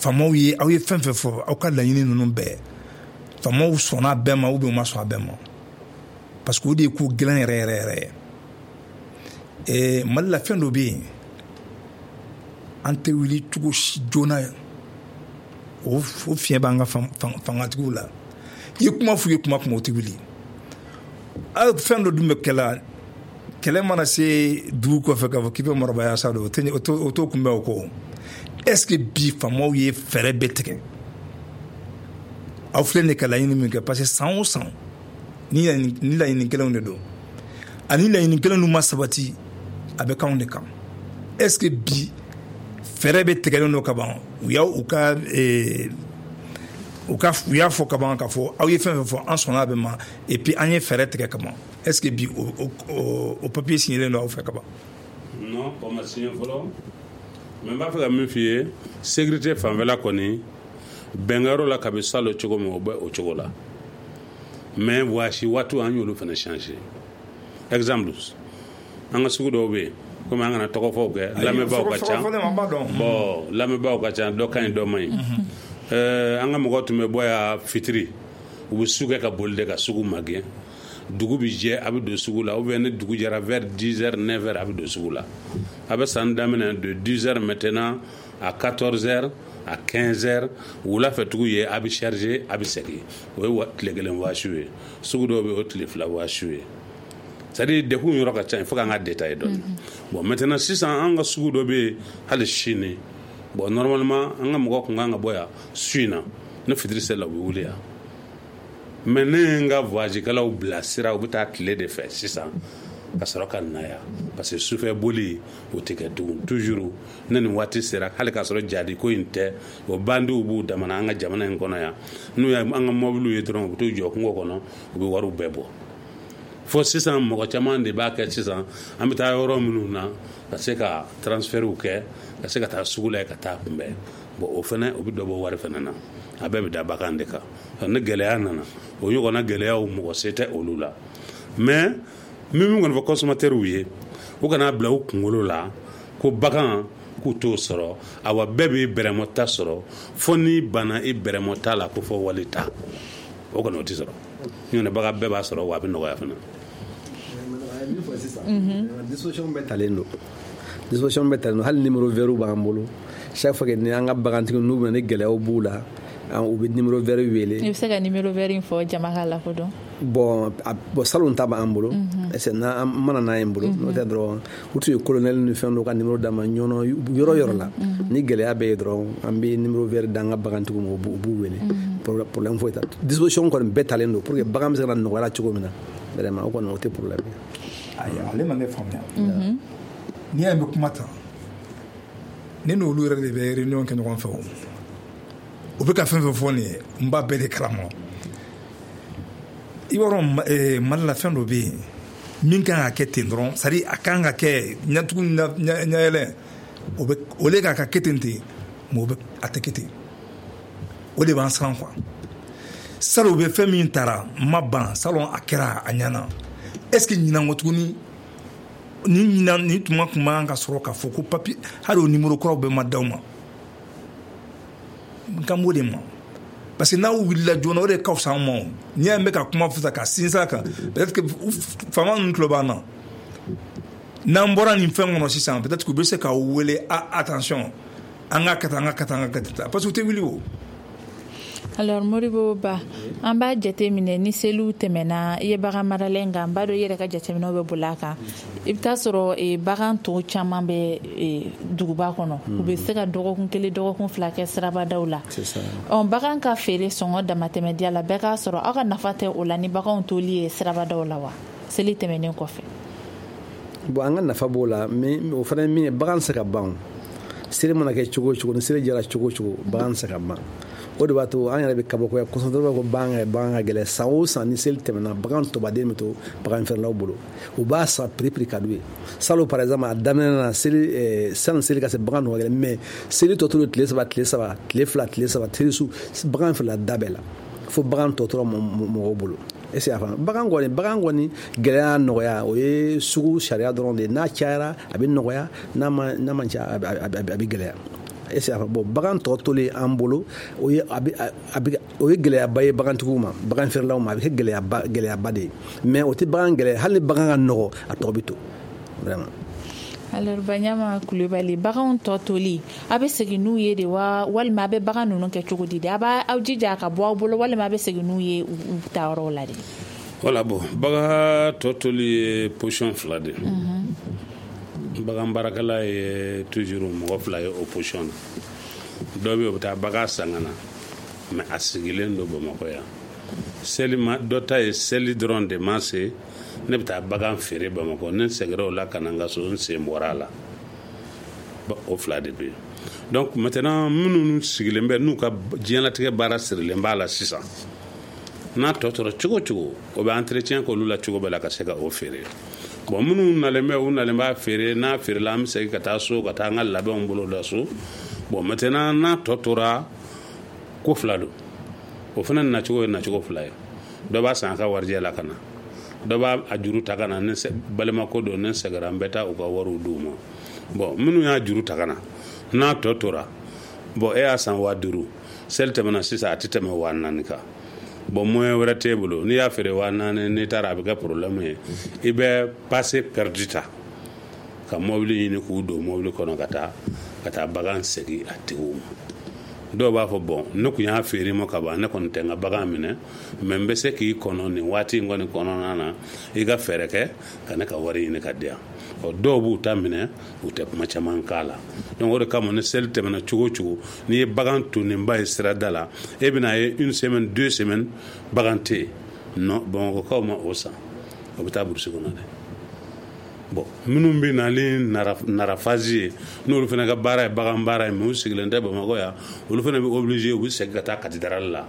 F: faamaw ye, aw ye fɛn fɛn fɔ, aw ka laɲini ninnu bɛɛ, faamaw sɔnna a bɛɛ ma ou bien u ma sɔn a bɛɛ ma? Parce que o de ye ko gɛlɛn yɛrɛ yɛrɛ yɛrɛ ye. Ɛɛ mali la, fɛn dɔ bɛ yen, an tɛ wuli cogo si joona, o o fiɲɛ b'an ka fangatigiw la. I ye kuma f'u ye kuma kuma, o tɛ wuli. Fɛn dɔ dun bɛ kɛla, kɛlɛ mana se dugu kɔfɛ, k'a fɔ k'i bɛ marabaya sa don, o t'o kunbɛn o kɔ. Est ce que bi faamaw ye fɛɛrɛ bɛɛ tigɛ? Aw filɛ nin ka laɲini min kɛ, parce que san o san ni laɲini kelenw de don, ani laɲini kelen ninnu ma sabati, a bɛ k'anw de kan. Est ce que bi fɛɛrɛ bɛ tigɛlen don ka ban? U y'aw u ka u ka u y'a fɔ ka ban k'a fɔ aw ye fɛn fɛn fɔ, an sɔnna a bɛɛ ma, et puis an ye fɛɛrɛ tigɛ ka ban. Est ce que bi o o o papier signélen don aw fɛ ka ban?
E: Non, o ma signé fɔlɔ, mais n b'a fɛ ka min f'i ye, sécurité fanfɛla kɔni bɛnkɛyɔrɔ la kabi salon cogo min, o bɛ o cogo la. Mais voyage waatiw, an y'olu fana changer. Exemple, an ka sugu dɔw bɛ yen, komi an kana tɔgɔ fɔw kɛ, lamɛnbaaw ka ca, bon, lamɛnbaaw ka ca, dɔ ka ɲi, dɔ man ɲi. An ka mɔgɔw tun bɛ bɔ yan fitiri, u bɛ su kɛ ka boli de ka sugu magɛn. Dugu bi jɛ, a bɛ don sugu la, ou bien ni dugu jɛra, vers dix heures, neuf heures, a bɛ don sugu la. A bɛ san daminɛ de dix heures maintenant à quatorze heures, à quinze heures, wula fɛ tugu ye, a bɛ charger, a bɛ segin. O ye tile kelen waasiw ye. Sugu dɔw bɛ yen, o tile fila waasiw ye. C'est à dire, dekun yɔrɔ ka ca, il faut k'an ka détailler dɔɔni. Bon, maintenant sisan, an ka sugu dɔ bɛ yen hali sini. Bon, normalement an ka mɔgɔ kun kan ka bɔ yan su in na, ni fitiri sera, u bɛ wuli yan. Mais ne ye n ka voyage kɛlaw bilasira, u bɛ taa tile de fɛ sisan ka sɔrɔ ka na yan, parce que sufɛ boli o tɛ kɛ tugun. Toujours ne nin waati sera, hali k'a sɔrɔ jadi ko in tɛ, o bandiw b'u damana an ka jamana in kɔnɔ yan. N'u ye an ka mɔbiliw ye dɔrɔn, u bɛ t'u jɔ kungo kɔnɔ, u bɛ wariw bɛɛ bɔ. Fo sisan mɔgɔ caman de b'a kɛ sisan, an bɛ taa yɔrɔ minnu na ka se ka transfertw kɛ, ka se ka taa sugu la yen ka taa kunbɛn. Bon, o fana, o bɛ dɔ bɔ wari fana na. A bɛɛ bɛ da bagan de kan. Ni gɛlɛya nana, o ɲɔgɔnna gɛlɛyaw, mɔgɔ se tɛ olu la. Mais min min kɔni fɔ consommateurs ye, u kana bila u kunkolo la ko bagan k'u t'o sɔrɔ. Awa, bɛɛ b'i bɛrɛmɔ ta sɔrɔ, fo n'i banna i bɛrɛmɔ ta la ko fɔ wali ta, o kɔni o tɛ sɔrɔ. Ɲɔntɛ bagan bɛɛ b'a sɔrɔ, wa a bɛ nɔgɔya fana.
D: Min fɔ sisan, disposition bɛɛ talen don, disposition bɛɛ talen don. Hali numéro vert b'an bolo. Chaque fois que ni an ka bagantigi n'u bɛna, ni gɛlɛyaw b'u la, u bɛ numéro vert wele.
C: I bɛ se ka numéro vert in fɔ jama ka lakodɔn?
D: Bon, bon, salon ta b'an bolo, est n'an mana n'a ye n bolo, n'o tɛ dɔrɔn u tun ye colonel ni fɛn dɔw ka numéro d'an ma. Ɲɔnɔ yɔrɔ yɔrɔ la, ni gɛlɛya bɛ yen dɔrɔn, an bɛ numéro vert d'an ka bagantigiw ma, u b'u wele. Problème foyi t'a. Disposition kɔni bɛɛ talen don pour que bagan bɛ se ka na nɔgɔya la cogo min na. Vraiment, o kɔni o tɛ problème ye.
F: Ayi, ale ma ne faamuya. N'i y'a ye n bɛ kuma tan, ne n'olu yɛrɛ de bɛ réunion kɛ ɲɔgɔn fɛ. O u bɛ ka fɛn fɛn fɔ nin ye, n b'a bɛɛ de kalama. I b'a dɔn, Mali la, fɛn dɔ bɛ yen min kan ka kɛ ten dɔrɔn, c'est à dire a kan ka kɛ ɲɛtugu ɲɛyɛlɛ, o bɛ o le k'a ka kɛ ten ten, mais o bɛ a tɛ kɛ ten. O de b'an siran quoi. Salon u bɛ fɛn min taara n ma ban, salon a kɛra a ɲɛna. Est ce que ɲinan kɔ tuguni, ni ɲinan ni tuma tun man ka sɔrɔ k'a fɔ ko papier, hali o numéro kuraw bɛɛ ma d'aw ma? N kan b'o de ma, parce que n'aw wulila joona, o de ka fisa an ma. O n'i y'a mɛn ka kuma fɔ ka sinsin a kan, peut-être que faama ninnu tulo b'an na. N'an bɔra nin fɛn kɔnɔ sisan, peut-être que u bɛ se k'aw wele: a attention, an ka kɛ tan, an ka kɛ tan, an ka kɛ tan, parce que u tɛ wuli o.
C: Alors Modibo Ba, an b'a jateminɛ ni seliw tɛmɛna, i ye bagan maralen kan, n b'a dɔn i yɛrɛ ka jateminɛw bɛ boli a kan. I bɛ taa sɔrɔ bagan tɔw caman bɛ duguba kɔnɔ, u bɛ se ka dɔgɔkun kelen, dɔgɔkun fila kɛ sirabadaw la. Ɔ bagan ka feere sɔngɔ damatɛmɛdiya la, bɛɛ k'a sɔrɔ, aw ka nafa tɛ o la ni baganw toli ye sirabadaw la wa, seli tɛmɛnen kɔfɛ?
D: Bon, an ka nafa b'o la, mais o fana ye min ye, bagan tɛ se ka ban. Seli mana kɛ cogo o cogo, ni seli jara cogo o cogo, bagan tɛ se ka ban. O de b'a to an yɛrɛ bɛ kabakoya, consommateur b'a fɔ bagan ka bagan ka gɛlɛn. San o san, ni seli tɛmɛna, bagan tɔbaden bɛ to bagan feerelaw bolo, u b'a san prix prix ka d'u ye. Salon par exemple, a daminɛ na, seli sani seli ka se, bagan dun ka gɛlɛn, mais seli tɔ tora tile saba, tile saba, tile fila, tile saba, tile su, bagan feerela da bɛɛ la, fo bagan tɔ tora mɔgɔw bolo. Est ce que a faamu? Bagan kɔni, bagan kɔni gɛlɛya nɔgɔya, o ye sugu sariya dɔrɔn de ye. N'a cayara, a bɛ nɔgɔya, n'a ma n'a ma ca, a bɛ gɛlɛya. Est ce que a faamu? Bon, bagan tɔ tolen an bolo, o ye a bɛ a bɛ o ye gɛlɛyaba ye bagantigiw ma, bagan feerelaw ma. A bɛ kɛ gɛlɛyaba gɛlɛyaba de ye, mais o tɛ bagan gɛlɛya. Hali ni bagan ka nɔgɔ, a tɔ bɛ to vraiment.
C: Alors Baɲama Kulubali, baganw tɔ toli, a bɛ segin n'u ye de wa, walima a bɛ bagan ninnu kɛ cogo di de? A b'a aw jija a ka bɔ aw bolo, walima a bɛ segin n'u ye u ta yɔrɔw la de?
E: Voilà, bon, bagan tɔ toli ye position fila de ye. Bagan baarakɛla ye toujours mɔgɔ fila ye o position na. Dɔw bɛ yen, o bɛ taa bagan san ka na. Mais a sigilen don Bamakɔ yan. Seli ma dɔ ta ye seli dɔrɔn de ma se, ne bɛ taa bagan feere Bamakɔ, ne seginna o la ka na n ka so, n sen bɔra a la. O fila de bɛ yen. Donc maintenant minnu sigilen bɛ n'u ka diɲɛlatigɛ baara sirilen b'a la sisan, n'a tɔ tora cogo cogo, o bɛ entretien k'olu la cogo bɛɛ la ka se ka o feere. Bon, minnu nalen bɛ, u nalen b'a feere, n'a feerela an bɛ segin ka taa so ka taa an ka labɛnw bolo da so. Bon, maintenant n'a tɔ tora, ko fila don. O fana nacogo ye nacogo fila ye. Dɔ b'a san a ka warijɛ la ka na, dɔ b'a a juru ta ka na, ni balimako don, ni sɛgɛra n bɛ taa u ka wariw d'u ma. Bon, minnu y'a juru ta ka na, n'a tɔ tora, bon, e y'a san waa duuru, seli tɛmɛna sisan a tɛ tɛmɛ waa naani kan. Bon, moyen wɛrɛ t'e bolo, n'i y'a feere waa naani, n'i taara a bɛ kɛ problème ye. I bɛ passe perdu ta ka mobili ɲini k'u don mobili kɔnɔ ka taa ka taa bagan segin a tigiw ma. Dɔw b'a fɔ bon, ne kun y'a feere ma ka ban, ne kɔni tɛ n ka bagan minɛ, mais n bɛ se k'i kɔnɔ nin waati in kɔni kɔnɔna na, i ka fɛɛrɛ kɛ ka ne ka wari ɲini ka di yan. Ɔ, dɔw b'u ta minɛ, u tɛ kuma caman k'a la. Donc o de kama ni seli tɛmɛna cogo o cogo, n'i ye bagan tonnenba ye sirada la, e bɛna ye une semaine, deux semaines bagan tɛ yen. Non, Bamakɔkaw ma o san, o bɛ taa burusi kɔnɔ dɛ. Bon, minnu bɛ na ni narafazi ye, n'olu fana ka baara ye bagan baara ye, mais u sigilen tɛ Bamakɔ yan, olu fana bɛ obligé, u bɛ segin ka taa cathédrale la.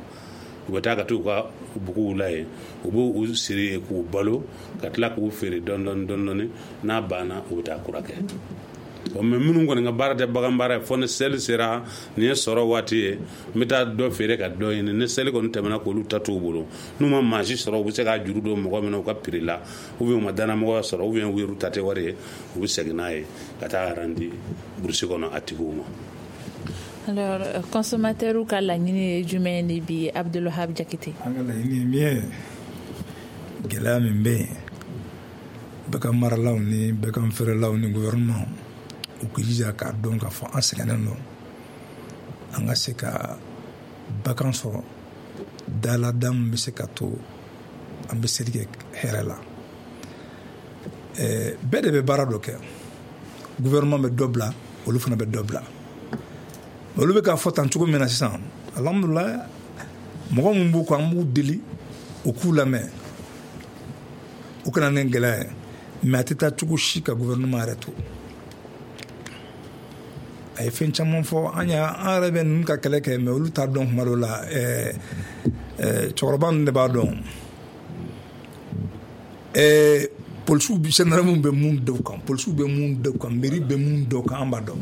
E: U bɛ taa ka t'u ka buguw la yen, u b'u siri yen k'u balo, ka tila k'u feere dɔɔni dɔɔni dɔɔni, n'a banna u bɛ taa kura kɛ. Bon, mais minnu kɔni ka baara tɛ bagan baara ye, fo ni seli sera, nin ye sɔrɔ waati ye, n bɛ taa dɔ feere ka dɔ ɲini. Ni seli kɔni tɛmɛna k'olu ta t'u bolo, n'u ma maa si sɔrɔ, u bɛ se k'a juru don mɔgɔ min na u ka prix la, ou bien u ma danamɔgɔya sɔrɔ, ou bien u yɛrɛ ta tɛ wari ye, u bɛ segin n'a ye ka taa randi burusi kɔnɔ a tigiw ma.
C: Alors, consommateur ka laɲini ye jumɛn de bi, Abdulwahab Jakite?
F: An ka laɲini ye min ye, gɛlɛya min bɛ yen, bagan maralaw ni bagan feerelaw ni gouvernement, u k'u jija k'a dɔn k'a fɔ an sɛgɛnnen don, an ka se ka bagan sɔrɔ dala da min bɛ se ka to an bɛ seli kɛ hɛrɛ la. Bɛɛ de bɛ baara dɔ kɛ, gouvernement bɛ dɔ bila, olu fana bɛ dɔ bila. Olu bɛ k'a fɔ tan cogo min na sisan, alhamdulilayi, mɔgɔ min b'u kɔ, an b'u deli u k'u lamɛn, u kana ni gɛlɛya ye. Mais a tɛ taa cogo si ka gouvernement yɛrɛ to. A ye fɛn caman fɔ an y'a, an yɛrɛ bɛ ninnu ka kɛlɛ kɛ, mais olu t'a dɔn kuma dɔw la. ɛɛ ɛɛ cɛkɔrɔba ninnu de b'a dɔn. ɛɛ polisiw, gendarmew bɛ mun da u kan, polisiw bɛ mun da u kan, mairie bɛ mun da u kan, an b'a dɔn.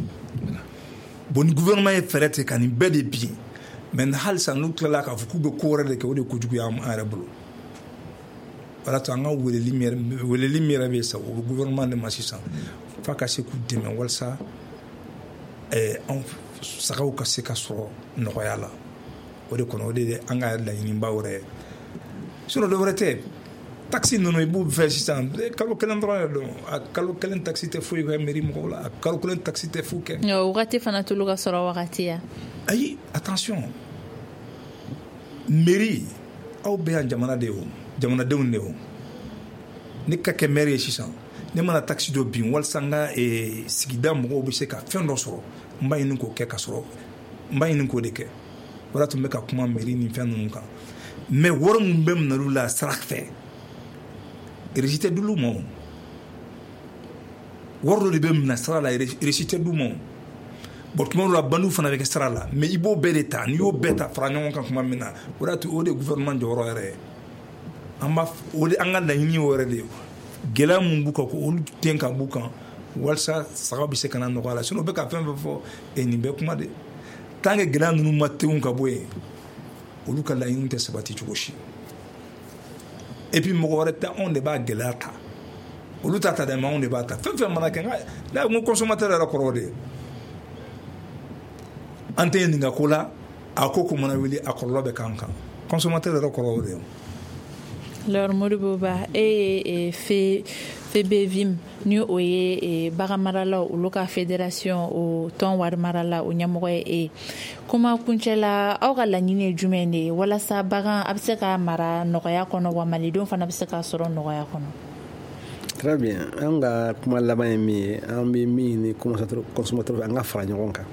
F: Bon, ni gouvernement ye fɛɛrɛ tigɛ ka nin bɛɛ de bin, mais halisa n'u tilala k'a fɔ k'u bɛ ko wɛrɛ de kɛ, o de ye kojugu ye an yɛrɛ bolo. O de y'a to an ka weleli min yɛrɛ weleli min yɛrɛ bɛ yen sisan, o bɛ gouvernement de ma sisan, f'a ka se k'u dɛmɛ walasa ɛɛ anw sagaw ka se ka sɔrɔ nɔgɔya la. O de kɔnɔ, o de ye an ka laɲiniba wɛrɛ ye. Sinon dɔ wɛrɛ tɛ. Taxe ninnu i b'u fɛ sisan, kalo kelen dɔrɔn de don. A kalo kelen taxe tɛ foyi kɛ mairie mɔgɔw la, a kalo kelen taxe tɛ foyi kɛ.
C: O wagati fana t'olu ka sɔrɔ wagati ya.
F: Ayi, attention, mairie, aw bɛ yan jamana de ye, o jamanadenw de ye. O ne ka kɛ maire ye sisan, ne mana taxe dɔ bin walasa n ka sigida mɔgɔw bɛ se ka fɛn dɔ sɔrɔ, n b'a ɲini k'o kɛ ka sɔrɔ, n b'a ɲini k'o de kɛ. O de tun bɛ ka kuma mairie ni fɛn ninnu kan. Mais wari min bɛ minɛ olu la sira fɛ, reçu tɛ d'olu ma. O wari dɔ de bɛ minɛ sira la, reçu tɛ d'u ma. Bon, tuma dɔw la bandiw fana bɛ kɛ sira la, mais i b'o bɛɛ de ta. N'i y'o bɛɛ ta fara ɲɔgɔn kan tuma min na, o de y'a to o de ye gouvernement jɔyɔrɔ yɛrɛ ye. An b'a o de, an ka laɲini y'o yɛrɛ de ye. Gɛlɛya mun b'u kan, ko olu den ka b'u kan walasa sagaw bɛ se ka na nɔgɔya la. Sinon u bɛ ka fɛn fɛn fɔ, e nin bɛɛ kuma de. Tant que gɛlɛya ninnu ma tewu ka bɔ yen, olu ka laɲini tɛ sabati cogo si. Et puis mɔgɔ wɛrɛ tɛ, anw de b'a gɛlɛya ta. Olu t'a ta dɛ, mais anw de b'a ta. Fɛn fɛn mana kɛ, nka n ko consommateur yɛrɛ kɔrɔ o de ye. An tɛ ɲininka ko la, a ko ko mana wuli, a kɔlɔlɔ bɛ k'an kan. Consommateur yɛrɛ kɔrɔ o de ye.
C: Alors, Modibo Ba, e ye fe F B V I M, ni o ye bagan maralaw olu ka fédération, o tɔn wari marala, o ɲɛmɔgɔ ye e ye. Kuma kuncɛ la, aw ka laɲini ye jumɛn de ye walasa bagan a bɛ se ka mara nɔgɔya kɔnɔ, wa malidenw fana bɛ se k'a sɔrɔ nɔgɔya kɔnɔ?
D: Très bien. An ka kuma laban ye min ye, an bɛ min ɲini consommateur, an ka fara ɲɔgɔn kan.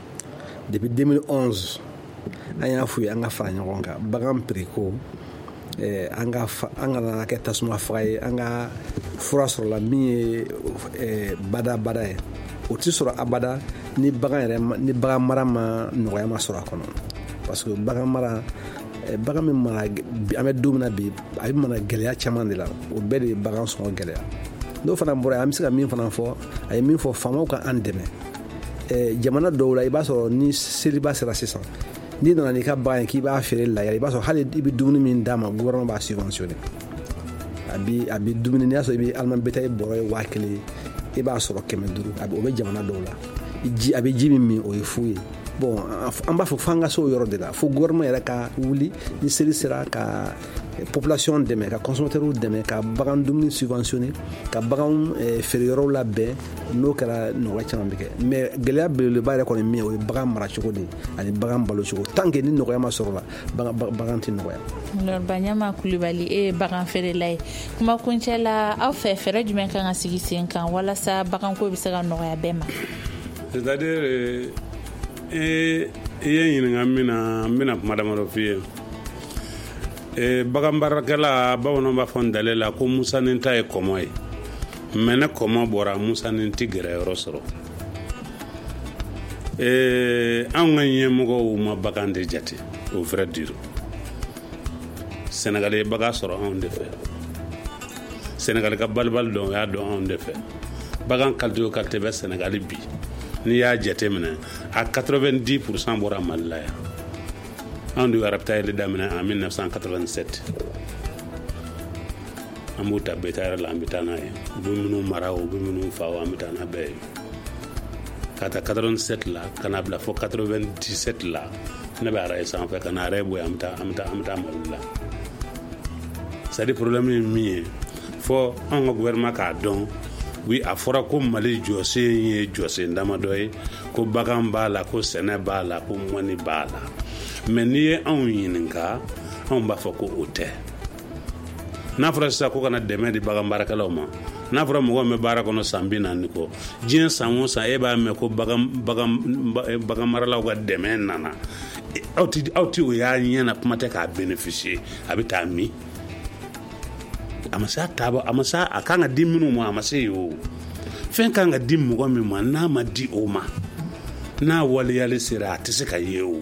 D: Depuis deux mille onze An y'a f'u ye an ka fara ɲɔgɔn kan bagan prix ko eh, an ka an kana kɛ tasuma faga ye, an ka fura sɔrɔla min ye eh, badabada ye. O tɛ sɔrɔ abada ni bagan yɛrɛ ni bagan mara ma nɔgɔya ma sɔrɔ a kɔnɔ, parce que bagan mara bagan min mara an bɛ don min na bi, a bɛ mara gɛlɛya caman de la, o bɛɛ de ye bagan sɔngɔ gɛlɛya. N'o fana bɔra yen, an bɛ se ka min fana fɔ, a ye min fɔ, faamaw ka an dɛmɛ. Jamana dɔw la i b'a sɔrɔ ni seliba sera sisan, n'i nana n'i ka bagan ye k'i b'a feere la, i b'a sɔrɔ hali i bɛ dumuni min d'a ma, gouvernement b'a subventionné. A bi a bi dumuni, n'i y'a sɔrɔ i bɛ aliment bétail bɔrɔ ye waa kelen, i b'a sɔrɔ kɛmɛ duuru, a bɛ o bɛ jamana dɔw la. Ji a bɛ ji min min o ye fu ye. Bon, an b'a fɔ f'an ka se o yɔrɔ de la, fo gouvernement yɛrɛ ka wuli ni seli sera ka population dɛmɛ, ka consommateurs dɛmɛ, ka bagan dumuni subventionné, ka bagan feere yɔrɔw labɛn. N'o kɛra, nɔgɔya caman bɛ kɛ. Mais gɛlɛya belebeleba yɛrɛ kɔni min ye, o ye bagan maracogo de ye ani bagan balocogo. Tant que ni nɔgɔya ma sɔrɔ la, bagan tɛ nɔgɔya.
C: Baɲama Kulibali, e ye bagan feerela ye. Kuma kuncɛ la, aw fɛ fɛɛrɛ jumɛn kan ka sigi sen kan walasa baganko bɛ se ka nɔgɔya bɛɛ ma?
E: C'est-à-dire, i ye ɲininka min na, n bɛna kuma damadɔ f'i ye. Bagan baarakɛla, bamananw b'a fɔ n dalen la ko musanin ta ye kɔmɔ ye, mais ne kɔmɔ bɔra, musanin ti gɛrɛ yɔrɔ sɔrɔ. Anw ka ɲɛmɔgɔw ma bagan de jate, au vrai dire. Sénégal ye bagan sɔrɔ anw de fɛ, Sénégal ka balibali dɔn, o y'a dɔn anw de fɛ. Bagan qualité o qualité bɛ Sénégal bi, n'i y'a jate minɛ, a quatre-vingt-dix pour cent bɔra Mali la yan. Anw de ye ravitailler daminɛ en mille neuf cent quatre-vingt-sept. An b'u ta bétail la, an bɛ taa n'a ye. U bɛ minnu mara, u bɛ minnu fa, an bɛ taa n'a bɛɛ ye. Ka taa quatre-vingt-sept la ka na bila fo quatre-vingt-dix-sept la, ne bɛ araye sanfɛ ka na araye bɔ yen, an bɛ taa an bɛ taa an bɛ taa Mali la. C'est à dire, problème ye min ye, fɔ anw ka gouvernement k'a dɔn. Oui, a fɔra ko Mali jɔsen ye jɔsen damadɔ ye, ko bagan b'a la, ko sɛnɛ b'a la, ko mɔni b'a la. Mais n'i ye anw ɲininka, anw b'a fɔ ko o tɛ. N'a fɔra sisan ko kana dɛmɛ di bagan baarakɛlaw ma, n'a fɔra mɔgɔ min bɛ baara kɔnɔ san bi naani kɔ, diɲɛ san o san e b'a mɛn ko bagan bagan bagan maralaw ka dɛmɛ nana, aw ti aw ti o y'a ɲɛ na, kuma tɛ k'a bénéficier. A bɛ taa min? A ma se a taabɔ, a ma se a kan ka di minnu ma, a ma se yen. O fɛn kan ka di mɔgɔ min ma, n'a ma di o ma, n'a waleyali sera, a tɛ se ka ye o.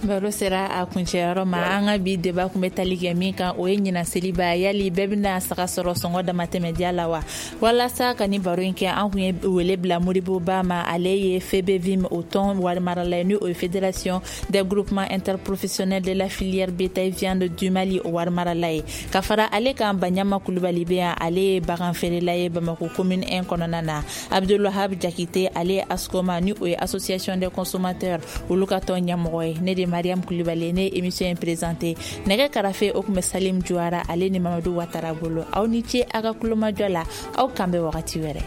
C: Baro sera a kuncɛyɔrɔ ma. An ka bi débat kun bɛ tali kɛ min kan, o ye ɲinan seliba, yali bɛɛ bɛna saga sɔrɔ sɔngɔ damatɛmɛdiya la wa? Walasa ka ni baro in kɛ, an kun ye wele bila Modibo Ba ma. Ale ye F B V I M o tɔn warimarala ye, ni o ye Fédération des groupements interprofessionnels de la filière bétail viande du Mali, o warimarala ye. Ka fara ale kan, Baɲama Kulubali bɛ yan, ale ye bagan feerela ye Bamako commune un kɔnɔna na. Abdulwahab Jakite, ale ye ASCOMA, ni o ye Association des consommateurs, olu ka tɔn ɲɛmɔgɔ ye. Ne de Mariam Kulibali, ne ye émission in présenté. Nɛgɛ karafe, o kun bɛ Salim Juwara, ale ni Mamadu Watara bolo. Aw ni ce a ka kulomajɔ la, aw kan bɛ wagati wɛrɛ.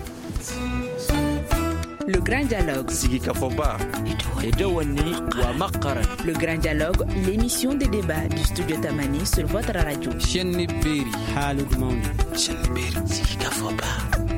A: Le Grand Dialogue.
B: Sigikafɔba.
A: Le Grand Dialogue, l'émission de débat du studio Tamani sur votre radio.
B: Chaîne Beri.
G: Haalude mawni.
B: Chaîne Beri. Sigikafɔba.